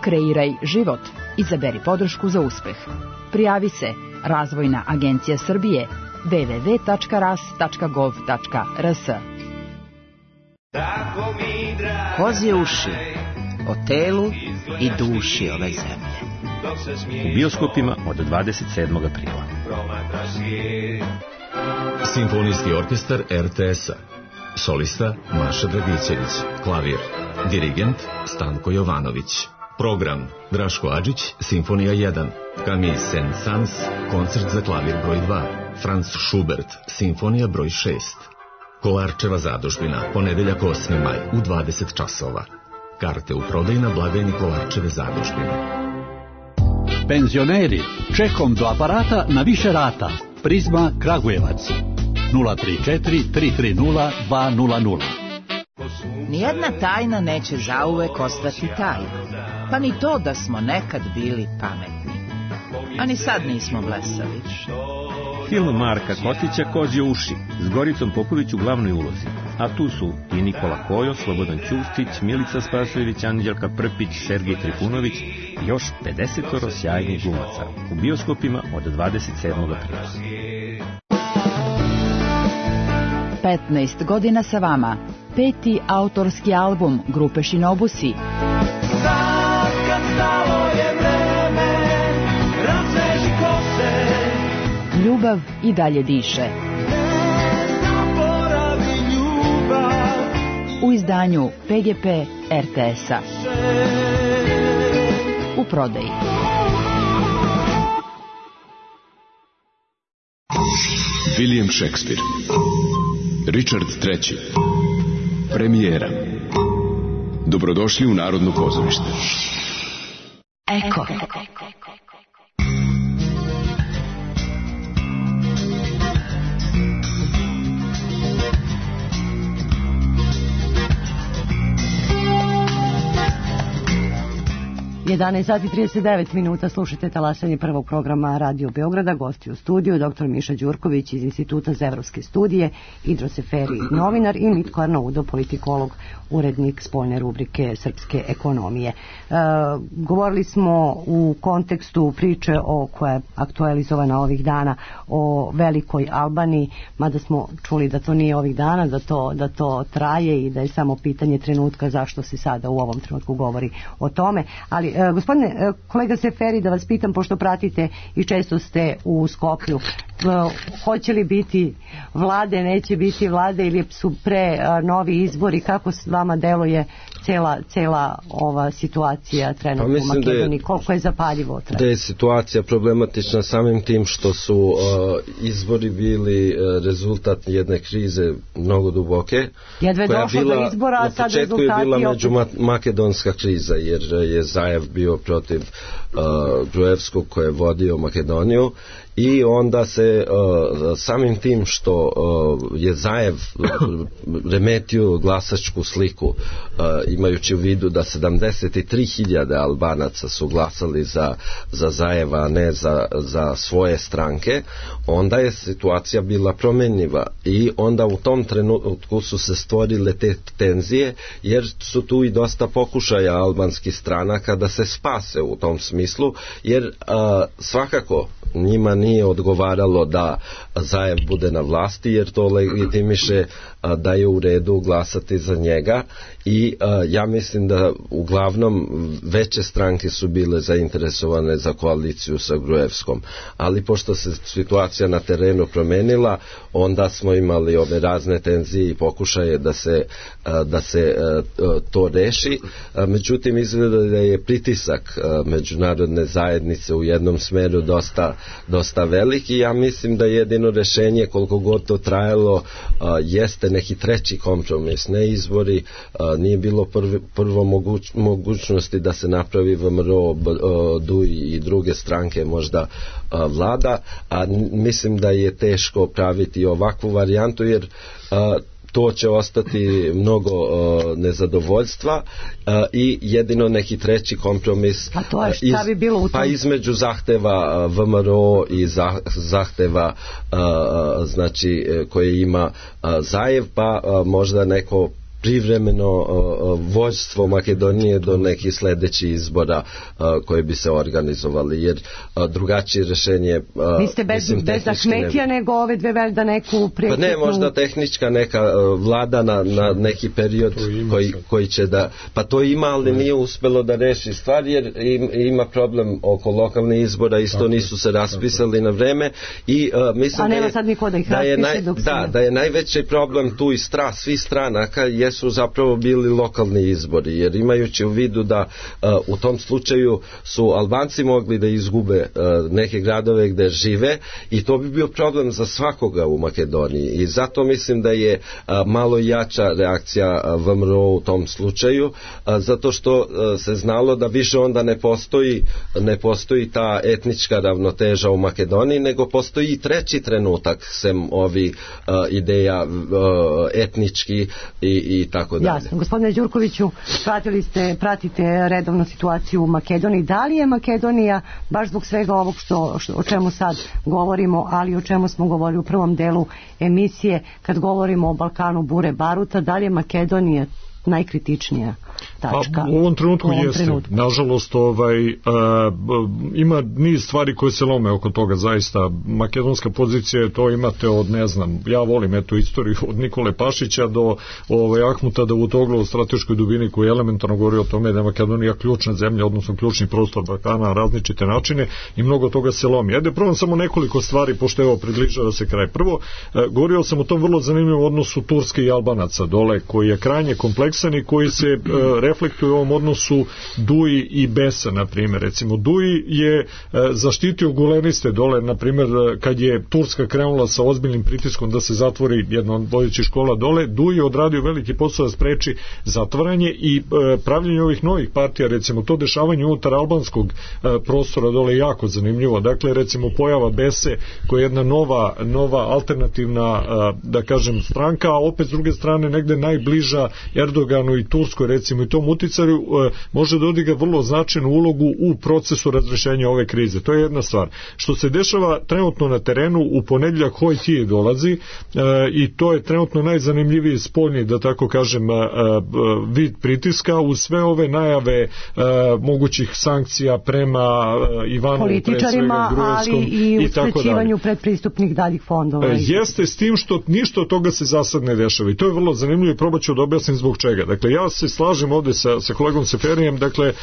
Kreiraj život. Izaberi podršku za uspeh. Prijavi se Razvojna agencija Srbije w w w tačka ras tačka gov tačka r s. Kozje uši o telu i duši ove zemlje. U bioskopima od dvadeset sedmog aprila. Simfonijski orkestar er te es-a. Solista Maša Dragićević. Klavir. Dirigent Stanko Jovanović. Program Draško Adžić, Simfonija jedan, Camille Saint-Saëns, koncert za klavir broj dva, Franz Schubert, Simfonija broj šest. Kolarčeva zadužbina, ponedeljak osmi maj u dvadeset časova. Karte u prodaju na blagajni Kolarčeve zadužbine. Penzioneri, čekom do aparata na više rata. Prizma Kragujevac. nula tri četiri tri tri nula dva nula nula. Nijedna tajna neće zauvek ostati tajna. Pa ni to da smo nekad bili pametni. A ni sad nismo blesavi. Film Marka Kostića Kozje uši s Goricom Popović u glavnoj ulozi. A tu su i Nikola Kojo, Slobodan Ćustić, Milica Spasojević, Anđelka Prpić, Sergej Trifunović i još pedesetoro sjajnih glumaca. U bioskopima od dvadeset sedmog aprila. petnaest godina sa vama. Peti autorski album grupe Shinobusi. Ljubav i dalje diše. U izdanju izdanju P G P R T S-a. U prodaji. William Shakespeare, Richard treći, premijera. Dobrodošli u Narodno pozorište. Eko. jedanaest sati i trideset devet minuta, slušate talasanje prvog programa Radio Beograda. Gosti u studiju doktor Miša Đurković iz Instituta za evropske studije, Idro Seferi, novinar, i Mitko Arnaudo, politikolog, urednik spoljne rubrike Srpske ekonomije. E, govorili smo u kontekstu priče o koja je aktualizovana ovih dana o velikoj Albaniji, mada smo čuli da to nije ovih dana, da to, da to traje i da je samo pitanje trenutka zašto se sada u ovom trenutku govori o tome. Ali e, gospodine e, kolega Seferi, da vas pitam, pošto pratite i često ste u Skoplju, e, hoće li biti vlade, neće biti vlade ili su pre e, novi izbori, kako vama deluje cela, cela ova situacija trenutno pa u Makedoniji, koliko je zapaljivo trenutno? Da je situacija problematična samim tim što su uh, izbori bili uh, rezultat jedne krize mnogo duboke. Jedva je došlo do izbora, a sad rezultati... Na početku je bila međumakedonska kriza, jer je Zajev bio protiv uh, Gruevskog koji je vodio Makedoniju, i onda se uh, samim tim što uh, je Zajev remetio glasačku sliku, uh, imajući u vidu da sedamdeset tri hiljade Albanaca su glasali za, za Zajeva, a ne za, za svoje stranke, onda je situacija bila promenljiva i onda u tom trenutku su se stvorile te tenzije, jer su tu i dosta pokušaja albanskih stranaka da se spase u tom smislu, jer uh, svakako njima nije odgovaralo da Zajev bude na vlasti, jer to legitimiše a, da je u redu glasati za njega, i a, ja mislim da uglavnom veće stranke su bile zainteresovane za koaliciju sa Gruevskom, ali pošto se situacija na terenu promenila, onda smo imali ove razne tenzije i pokušaje da se, a, da se a, to reši. A, međutim, izgleda da je pritisak a, međunarodne zajednice u jednom smeru dosta dosta veliki. Ja mislim da jedino rešenje, koliko god to trajalo, a, jeste neki treći kompromis, ne izbori. A, nije bilo prvi, prvo moguć, mogućnosti da se napravi V M R O, D U I i druge stranke možda a, vlada, a mislim da je teško praviti ovakvu varijantu, jer a, to će ostati mnogo uh, nezadovoljstva uh, i jedino neki treći kompromis, a to je šta bi bilo u tom? Pa između zahteva uh, V M R O i zah, zahteva uh, znači koje ima uh, Zajev, pa uh, možda neko privremeno uh, vođstvo Makedonije do nekih sledećih izbora uh, koje bi se organizovali, jer uh, drugačije rešenje uh, vi ste bez, bez Ahmetija nego ove dve veljda neku prekretnu... Pa ne, možda tehnička neka uh, vlada na, na neki period koji, koji će da... Pa to ima, ali nije uspelo da reši stvar, jer im, ima problem oko lokalnih izbora, isto tako, nisu se raspisali tako na vreme, i uh, mislim a nema da je, sad niko da ih da je, naj, dok da, da je najveći problem tu i stra, svi stranaka je su zapravo bili lokalni izbori, jer imajući u vidu da uh, u tom slučaju su Albanci mogli da izgube uh, neke gradove gde žive, i to bi bio problem za svakoga u Makedoniji, i zato mislim da je uh, malo jača reakcija uh, V M R O u tom slučaju, uh, zato što uh, se znalo da više onda ne postoji ne postoji ta etnička ravnoteža u Makedoniji, nego postoji i treći trenutak sem ovi uh, ideja uh, etnički i, i tako dalje. Jasno. Gospodine Đurkoviću, pratili ste, pratite redovno situaciju u Makedoniji. Da li je Makedonija, baš zbog svega ovog što, što, o čemu sad govorimo, ali o čemu smo govorili u prvom delu emisije, kad govorimo o Balkanu bure baruta, da li je Makedonija najkritičnija tačka. Pa, u ovom trenutku u ovom jeste. Trenutku. Nažalost, ovaj, a, ima niz stvari koje se lome oko toga, zaista. Makedonska pozicija, to imate od, ne znam, ja volim eto istoriju od Nikole Pašića do ovaj, Ahmuta Davutoglu o strateškoj dubini koji elementarno govori o tome da je Makedonija ključna zemlja, odnosno ključni prostor Balkana na različite načine i mnogo toga se lomi. Ajde, prvo samo nekoliko stvari, pošto evo približava se kraj. Prvo, e, govorio sam o tom vrlo zanimljivom odnosu Turske i Albanaca dole, koji je krajnje kompleksan i koji se e, reflektuje u ovom odnosu Duji i Besa, na primjer. Recimo, Duji je e, zaštitio guleniste dole, na primjer, kad je Turska krenula sa ozbiljnim pritiskom da se zatvori jedna od vodećih škola dole, Duji je odradio veliki posao da spreči zatvaranje i e, pravljenje ovih novih partija, recimo, to dešavanje unutar albanskog e, prostora dole je jako zanimljivo. Dakle, recimo, pojava Bese, koja je jedna nova, nova alternativna, e, da kažem, stranka, a opet s druge strane negde najbliža Erdoganu i Turskoj, recimo, i tom uticaju e, može da odigra vrlo značajnu ulogu u procesu razrešenja ove krize. To je jedna stvar. Što se dešava trenutno na terenu, u ponedjeljak Hojtije dolazi e, i to je trenutno najzanimljiviji spoljni, da tako kažem, e, e, vid pritiska uz sve ove najave e, mogućih sankcija prema e, Ivanovu, političarima, ali i uskraćivanju predpristupnih daljih fondova. E, jeste s tim što ništa od toga se za sad ne dešava i to je vrlo zanimljivo i probat ću da objasnim zbog čega. Dakle, ja se slažem ovde sa, sa kolegom Seferijem, dakle, e,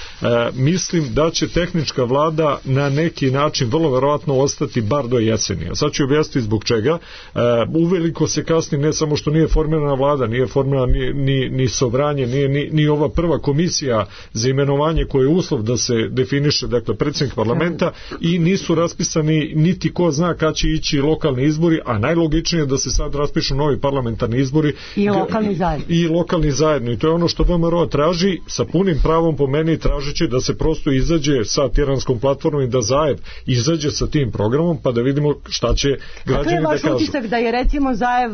mislim da će tehnička vlada na neki način vrlo verovatno ostati bar do jeseni. A sad ću objasniti zbog čega. E, uveliko se kasni, ne samo što nije formirana vlada, nije formirana ni, ni, ni Sobranje, nije ni, ni ova prva komisija za imenovanje koje je uslov da se definiše, dakle, predsjednik parlamenta, i nisu raspisani niti ko zna kad će ići lokalni izbori, a najlogičnije je da se sad raspišu novi parlamentarni izbori i lokalni zajedno. I lokalni zajedno. I to je ono što V M R O traži, sa punim pravom po meni tražići da se prosto izađe sa tiranskom platformom i da Zaev izađe sa tim programom, pa da vidimo šta će građani da kažu. To je vaš utisak da je recimo Zaev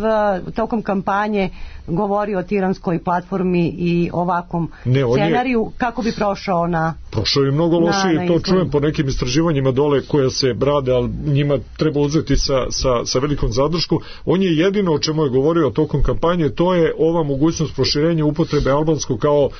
tokom kampanje govorio o tiranskoj platformi i ovakvom ne, scenariju, je, kako bi prošao na... Prošao je mnogo lošije, to čujem po nekim istraživanjima dole koje se brade, ali njima treba uzeti sa, sa, sa velikom zadršku. On je jedino o čemu je govorio tokom kampanje, to je ova mogućnost proširenja upotrebe albanskog kao uh,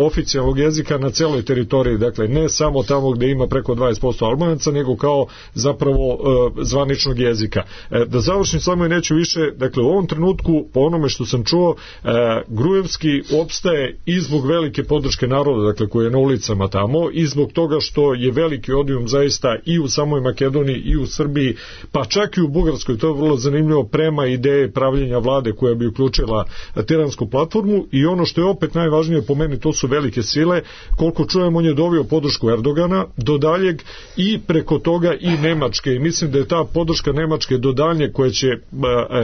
oficijalnog jezika na celoj teritoriji, dakle ne samo tamo gde ima preko dvadeset posto Albanaca, nego kao zapravo uh, zvaničnog jezika. E, da završim samo i neću više, dakle u ovom trenutku, po onome što sam čuo, e, Grujevski opstaje i zbog velike podrške naroda, dakle koji je na ulicama tamo, i zbog toga što je veliki odijum zaista i u samoj Makedoniji i u Srbiji, pa čak i u Bugarskoj, to je vrlo zanimljivo, prema ideje pravljenja vlade koja bi uključila tiransku platformu. I ono što je opet najvažnije po meni, to su velike sile. Koliko čujem, on je dovio podršku Erdogana do daljeg i preko toga i Nemačke, i mislim da je ta podrška Nemačke do daljnje koja će e,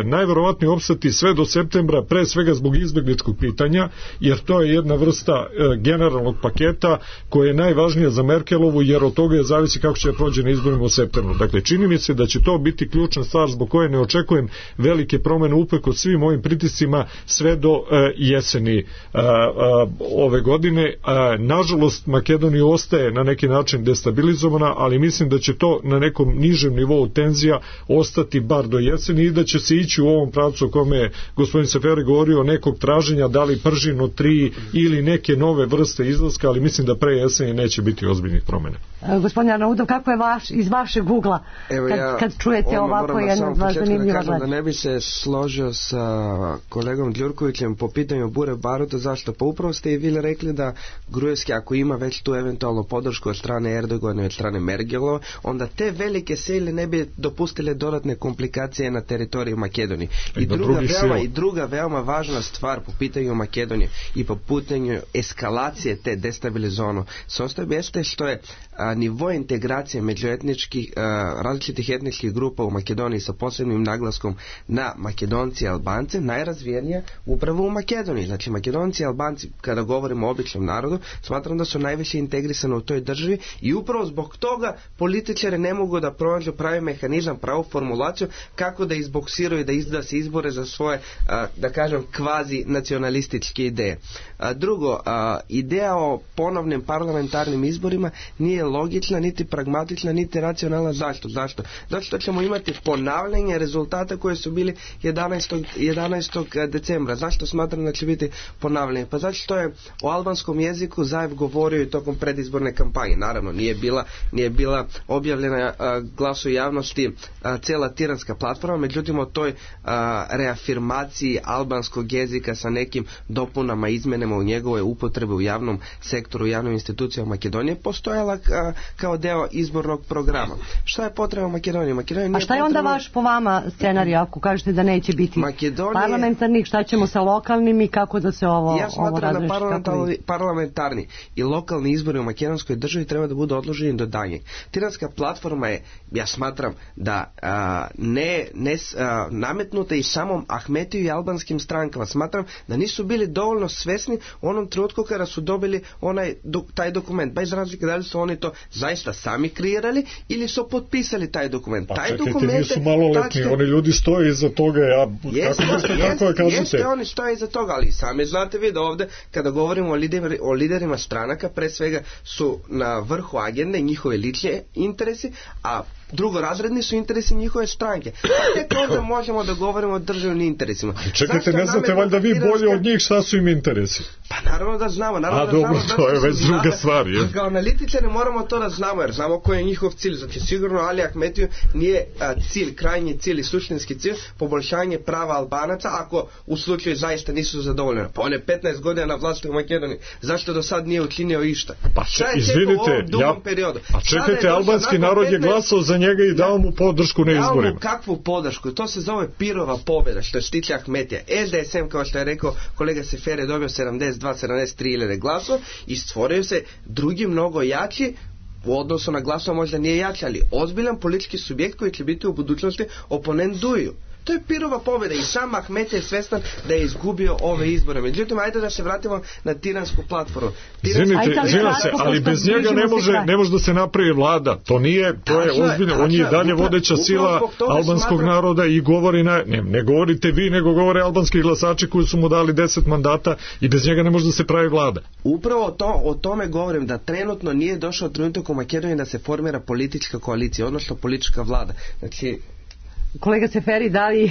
najverovatnije opstati sve do septembra, pre svega zbog izbegličkog pitanja, jer to je jedna vrsta e, generalnog paketa koja je najvažnija za Merkelovu, jer od toga je zavisi kako će prođe na izborima u septembru. Dakle, čini mi se da će to biti ključna stvar zbog koje ne očekujem velike promene uprkos svim ovim pritiscima sve do e, jeseni e, e, ove godine. E, nažalost, Makedonija ostaje na neki način destabilizovana, ali mislim da će to na nekom nižem nivou tenzija ostati bar do jeseni i da će se ići u ovom pravcu o kome je gospodin Seferi govorio, nekog traženja, da li Pržino tri ili neke nove vrste izlaska, ali mislim da pre jeseni neće biti ozbiljnih promjena. E, gospodin Arnaudov, kako je vaš, iz vašeg ugla kad, ja, kad čujete ovako jedno od vas zanimljiva da, da ne bi se složio sa kolegom Đurkovićem po pitanju Bure Baruta, zašto? Pa upravo ste i vi rekli da Grujevski, ako ima već tu eventualnu podršku od strane Erdogana i od strane Merkelova, onda te velike sile ne bi dopustile dodatne komplikacije na teritoriju Makedonije. I druga, veoma, I druga veoma važna stvar po pitanju Makedonije i po pitanju eskalacije te destabilizovano sastoje jeste što je a, nivo integracije među etničkih, a, različitih etničkih grupa u Makedoniji sa posebnim naglaskom na Makedonci i Albance najrazvijenija upravo u Makedoniji. Znači Makedonci i Albanci, kada govorimo o običnom narodu, smatram da su najviše integrisani u toj državi i upravo zbog toga političari ne mogu da pronađu pravi mehanizam, pravu formulaciju kako da izboksiraju, da, iz, da se izbore za svoje, a, da kažem, kvazi nacionalističke ideje. A, drugo, a, ideja o ponovnim parlamentarnim izborima nije logična, niti pragmatična, niti racionalna. Zašto? Zašto? Zato što ćemo imati ponavljanje rezultata koje su bili jedanaestog decembra. Zašto smatram da će biti ponavljanje? Pa zato što je o albanskom jeziku Zaev govorio i tokom predizborne kampanje. Naravno, nije bila, nije bila objavljena a, glasu javnosti a, cijela tiranska platforma, međutim o toj a, reafirmaciji albanskog jezika sa nekim dopunama, izmenama u njegove upotrebe u javnom sektoru, u javnim institucijama Makedonije postojala a, kao deo izbornog programa. Šta je potreba Makedonije? Makedonije A šta je onda potrebno... vaš po vama scenarij ako kažete da neće biti Makedonije... parlamentarnih, šta ćemo sa lokalnim i kako da se ovo Ja smatram da parlamentarni, je... parlamentarni i lokalni izbori u makedonskoj državi treba da budu odloženi do daljnjeg. Tiranska platforma je, ja smatram da a, ne, ne a, nametnuta i samom Ahmetiju i albanskim strankama. Smatram da nisu bili dovoljno svesni u onom trenutku kada su dobili onaj, do, taj dokument. Bez razlike da li su oni to zaista sami kreirali ili su potpisali taj dokument. Pa taj čekajte, dokument nisu maloletni, tačne... oni ljudi stoje iza toga. Ja, jeste, kako jeste, kako jeste, kažete? Jeste, oni stoje iza toga, ali sami znate vi da ovde kada govorimo o, lider, o liderima stranaka, pre svega su na vrhu agende njihove lične interesi, a drugorazredni su interesi njihove stranke. A tek onda možemo da govorimo o državnim interesima. Čekajte, ne znate valjda vi bolje od njih šta su im interesi? Pa naravno da znamo. Naravno A da dobro, znamo to je već druga stvar. Je? Kao analitičari moramo to da znamo, jer znamo koji je njihov cilj. Znači sigurno Ali Ahmetiju nije a, cilj, krajnji cilj i suštinski cilj poboljšanje prava Albanaca ako u slučaju zaista nisu zadovoljeni. Pa on je petnaest godina na vlasti u Makedoniji. Zašto do sad nije učinio išta? Pa šta je izvinite, ja, a čekajte, albanski narod je glasao za njega i dao mu podršku na izborima. Dao mu kakvu podršku? To se zove pirova pobjeda, što se tiče Ahmetija. S D S M, kao što je rekao kolega Sefere, dobio sedamdeset dva sedamdeset tri hiljade glasova i stvorio se drugi mnogo jači u odnosu na glasova, možda nije jači, ali ozbiljan politički subjekt koji će biti u budućnosti oponent Duju. To je pirova pobjeda i sam Ahmet je svestan da je izgubio ove izbore. Međutim, ajde da se vratimo na tiransku platformu. Izvinite, izvinite se, ali bez njega ne može, ne može da se napravi vlada. To nije, to je ozbiljno. On je dalje vodeća sila albanskog naroda i govori na, ne, ne govorite vi, nego govore albanski glasači koji su mu dali deset mandata i bez njega ne može da se pravi vlada. Upravo to, o tome govorim, da trenutno nije došao trenutak u Makedoniji da se formira politička koalicija, odnosno politička vlada. Znači, kolega Seferi, da li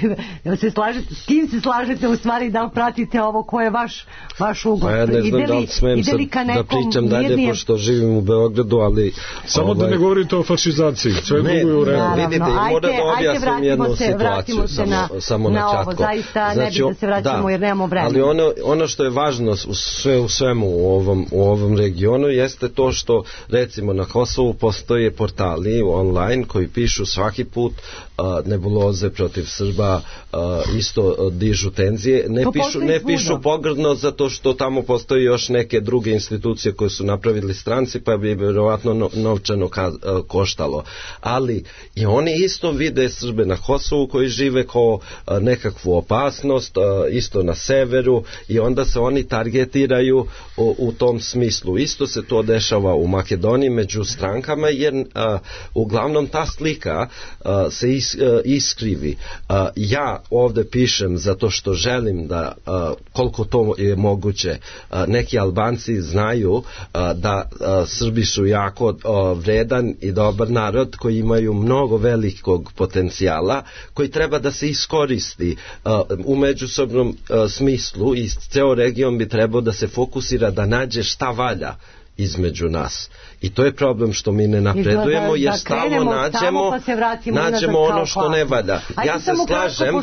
se slažete, s kim se slažete u stvari, da li pratite ovo, ko je vaš, vaš ugod? Pa ja ne znam da li smem sad da pričam dalje, mirnije... pošto živim u Beogradu, ali... Samo ovaj... da ne govorite o fašizaciji, sve ne, drugo je u redu. Vidite, i moram da objasnim jednu se, situaciju, se samo, na, samo na na ovo, zaista znači, ne bi da se vraćamo da, jer nemamo vremena. Ali ono, ono što je važno u, sve, u svemu u ovom, u ovom regionu jeste to što, recimo, na Kosovu postoje portali online koji pišu svaki put uh, nebuloze protiv Srba, uh, isto uh, dižu tenzije, ne to pišu, ne pišu pogrdno zato što tamo postoji još neke druge institucije koje su napravili stranci, pa bi vjerovatno no, novčano ka, uh, koštalo. Ali i oni isto vide Srbe na Kosovu koji žive kao uh, nekakvu opasnost, uh, isto na severu, i onda se oni targetiraju u, u tom smislu. Isto se to dešava u Makedoniji među strankama, jer uh, uglavnom ta slika uh, se is, uh, iskrivi. Uh, ja ovdje pišem zato što želim da uh, koliko to je moguće uh, neki Albanci znaju uh, da uh, Srbi su jako uh, vredan i dobar narod koji imaju mnogo velikog potencijala koji treba da se iskoristi uh, u međusobnom uh, smislu, i ceo region bi trebao da se fokusira da nađe šta valja između nas. I to je problem što mi ne napredujemo, jer stalno nađemo, pa nađemo ono što ne valja. Ja se slažem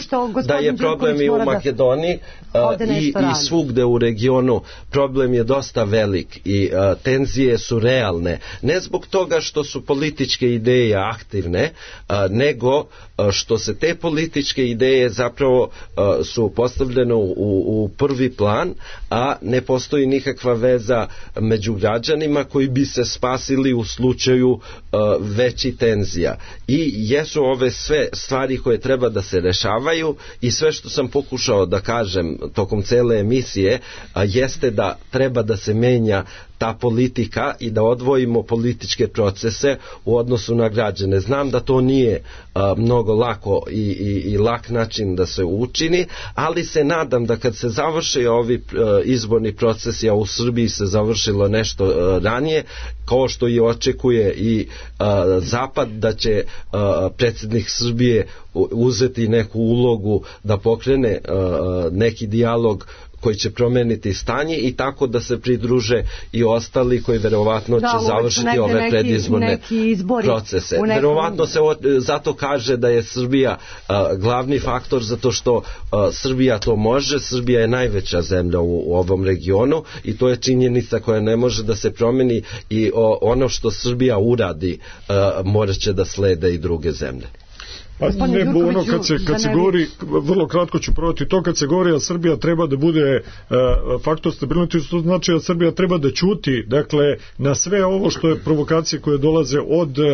da je problem i u Makedoniji uh, i, i svugde u regionu. Problem je dosta velik i uh, tenzije su realne. Ne zbog toga što su političke ideje aktivne, uh, nego uh, što se te političke ideje zapravo uh, su postavljene u, u prvi plan, a ne postoji nikakva veza među građanima koji bi se spasili u slučaju uh, veći tenzija. I jesu ove sve stvari koje treba da se rešavaju, i sve što sam pokušao da kažem tokom cele emisije uh, jeste da treba da se menja ta politika i da odvojimo političke procese u odnosu na građane. Znam da to nije a, mnogo lako i, i, i lak način da se učini, ali se nadam da kad se završi ovi a, izborni procesi, a u Srbiji se završilo nešto a, ranije, kao što i očekuje i a, Zapad, da će a, predsjednik Srbije uzeti neku ulogu da pokrene a, neki dijalog koji će promeniti stanje i tako da se pridruže i ostali koji verovatno da, će završiti ove neki, predizborne neki procese. Nekom... Verovatno se o, zato kaže da je Srbija a, glavni faktor, zato što a, Srbija to može. Srbija je najveća zemlja u, u ovom regionu i to je činjenica koja ne može da se promeni i o, ono što Srbija uradi a, morat će da slede i druge zemlje. Pa ne, ono kad se, kad se govori, vrlo kratko ću provati to, kad se govori da Srbija treba da bude uh, faktor stabilnosti, to znači da Srbija treba da ćuti, dakle, na sve ovo što je provokacije koje dolaze od uh,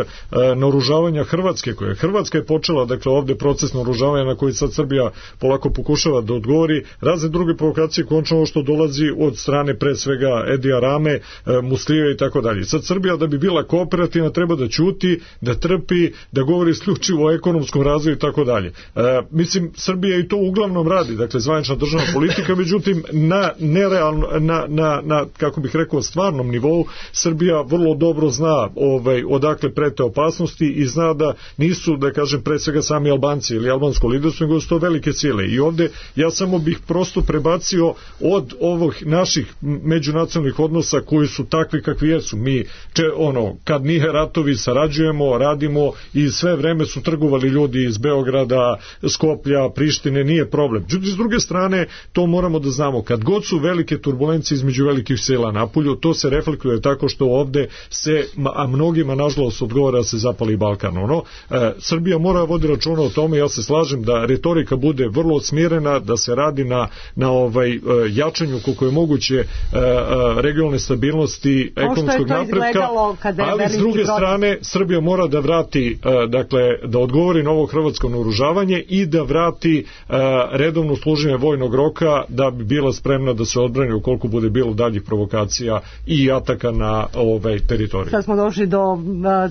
naoružavanja Hrvatske, koje Hrvatska je počela, dakle, ovde proces naoružavanja na koji sad Srbija polako pokušava da odgovori, razne druge provokacije, končno ovo što dolazi od strane pre svega Edija Rame, uh, Muslije i tako dalje. Sad Srbija da bi bila kooperativna treba da ćuti, da trpi, da govori isključivo o ekonomskom razvoju i tako dalje. E, mislim, Srbija i to uglavnom radi, dakle, zvanična državna politika, međutim, na nerealno, na, na, na, kako bih rekao, stvarnom nivou, Srbija vrlo dobro zna ovaj, odakle prete opasnosti i zna da nisu, da kažem, pre svega sami Albanci ili albansko liderstvo, nego su to velike sile. I ovde ja samo bih prosto prebacio od ovih naših međunacionalnih odnosa koji su takvi kakvi jesu. Mi, če, ono, kad nije ratovi, sarađujemo, radimo i sve vreme su trgovali ljudi iz Beograda, Skoplja, Prištine, nije problem. Međutim, s druge strane, to moramo da znamo, kad god su velike turbulencije između velikih sila napolju, to se reflektuje tako što ovde se, a mnogima nažalost odgovara da se zapali Balkan. Ono, e, Srbija mora vodi računa o tome, ja se slažem da retorika bude vrlo smirena, da se radi na, na ovaj, jačanju koliko je moguće e, regionalne stabilnosti, ekonomskog napretka, ali s druge strane, Srbija mora da vrati, e, dakle, da odgovori na ovo hrvatsko naoružavanje i da vrati uh, redovno služenje vojnog roka da bi bila spremna da se odbrani ukoliko bude bilo daljih provokacija i ataka na ovaj teritorij. Sad smo došli do uh,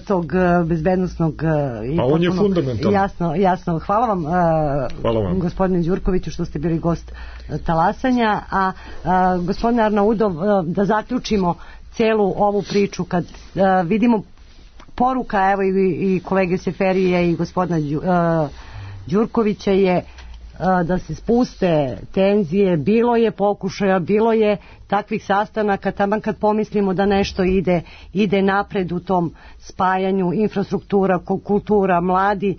tog uh, bezbednostnog uh, i a on je fundamentalno. Jasno, jasno. Hvala vam, uh, Hvala vam. gospodine Đurkoviću, što ste bili gost uh, Talasanja, a uh, gospodine Arnaudov, uh, da zaključimo celu ovu priču kad uh, vidimo poruka, evo i, i kolege Seferije i gospodina Đu, uh, Đurkovića je uh, da se spuste tenzije, bilo je pokušaja, bilo je takvih sastanaka, taman kad pomislimo da nešto ide, ide napred u tom spajanju infrastruktura, kultura, mladi,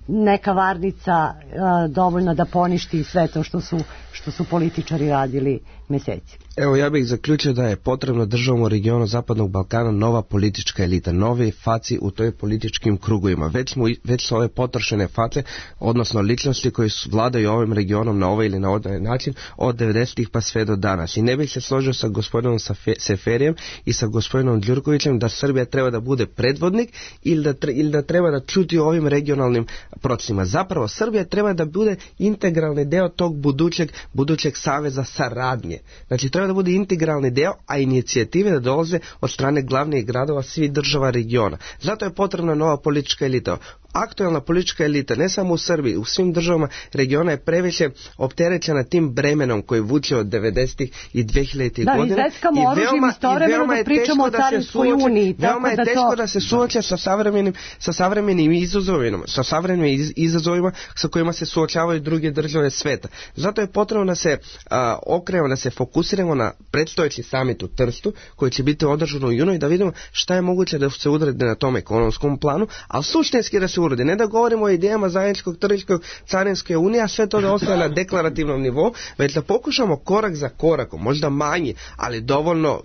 neka varnica uh, dovoljna da poništi sve to što su, što su političari radili meseci. Evo, ja bih zaključio da je potrebno državom u regionu Zapadnog Balkana nova politička elita, nove faci u toj političkim krugovima. Već, smo, već su ove potrošene face, odnosno ličnosti koji su vladaju ovim regionom na ovaj ili na ovaj način od devedesetih pa sve do danas. I ne bih se složio sa gospodinom Seferijem i sa gospodinom Đurkovićem da Srbija treba da bude predvodnik ili da, tre, ili da treba da čuti o ovim regionalnim procesima. Zapravo, Srbija treba da bude integralni deo tog budućeg, budućeg saveza saradnje. Znači, treba da bude integralni deo, a inicijative da dolaze od strane glavnih gradova svih država regiona. Zato je potrebna nova politička elita. Aktualna politička elita, ne samo u Srbiji, u svim državama regiona je previše opterećena tim bremenom koji vuče od devedesetih i dvehiljaditih da, godina. Da, izveskamo oružjem istovremeno da pričamo o Carinskoj uniji. Veoma je da teško to... da se suoče sa savremenim, sa savremenim izazovima, sa savremenim iz, izazovima sa kojima se suočavaju druge države sveta. Zato je potrebno da se a, okrenemo, da se fokusiramo na predstojeći samit u Trstu, koji će biti održan u junu i da vidimo šta je moguće da se uradi na tom ekonomskom planu, ali suštinski da se uradi. Ne da govorimo o idejama zajedničkog tržiškog carinske unije, a sve to da ostaje na deklarativnom nivou, već da pokušamo korak za korakom, možda manji, ali dovoljno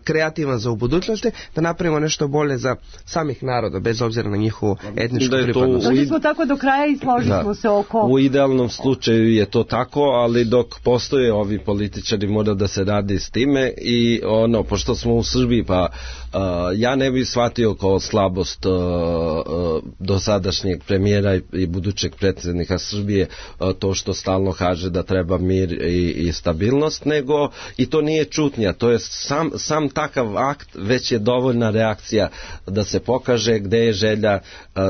kreativan za u budućnosti, da napravimo nešto bolje za samih naroda, bez obzira na njihovu etničku da pripadnost. Došli smo tako do kraja i složili da. smo se oko... U idealnom slučaju je to tako, ali dok postoje ovi političari mora da se radi s time i ono, pošto smo u Srbiji, pa uh, ja ne bih shvatio kao slabost uh, uh, dosadašnjeg premijera i, i budućeg predsjednika Srbije uh, to što stalno kaže da treba mir i, i stabilnost, nego i to nije čutnja, to je sam sam takav akt već je dovoljna reakcija da se pokaže gde je želja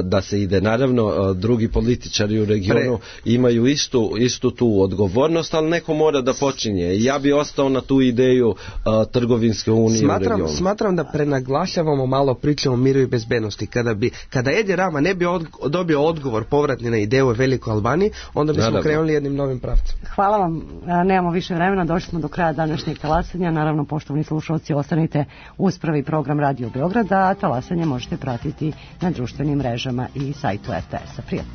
da se ide. Naravno, drugi političari u regionu Pre... imaju istu, istu tu odgovornost, ali neko mora da počinje. Ja bi ostao na tu ideju uh, trgovinske unije smatram, u regionu. Smatram da prenaglašavamo malo priču o miru i bezbednosti. Kada bi, kada Edi Rama ne bi od, dobio odgovor povratni na ideju o Velikoj Albaniji, onda bismo Naravno. krenuli jednim novim pravcem. Hvala vam, nemamo više vremena, došli smo do kraja današnjeg talasanja. Naravno, poštovani slušalci, ostanite uz prvi program Radio Beograda, a talasanje možete pratiti na društvenim mrežama i sajtu er te es-a. Prijatno.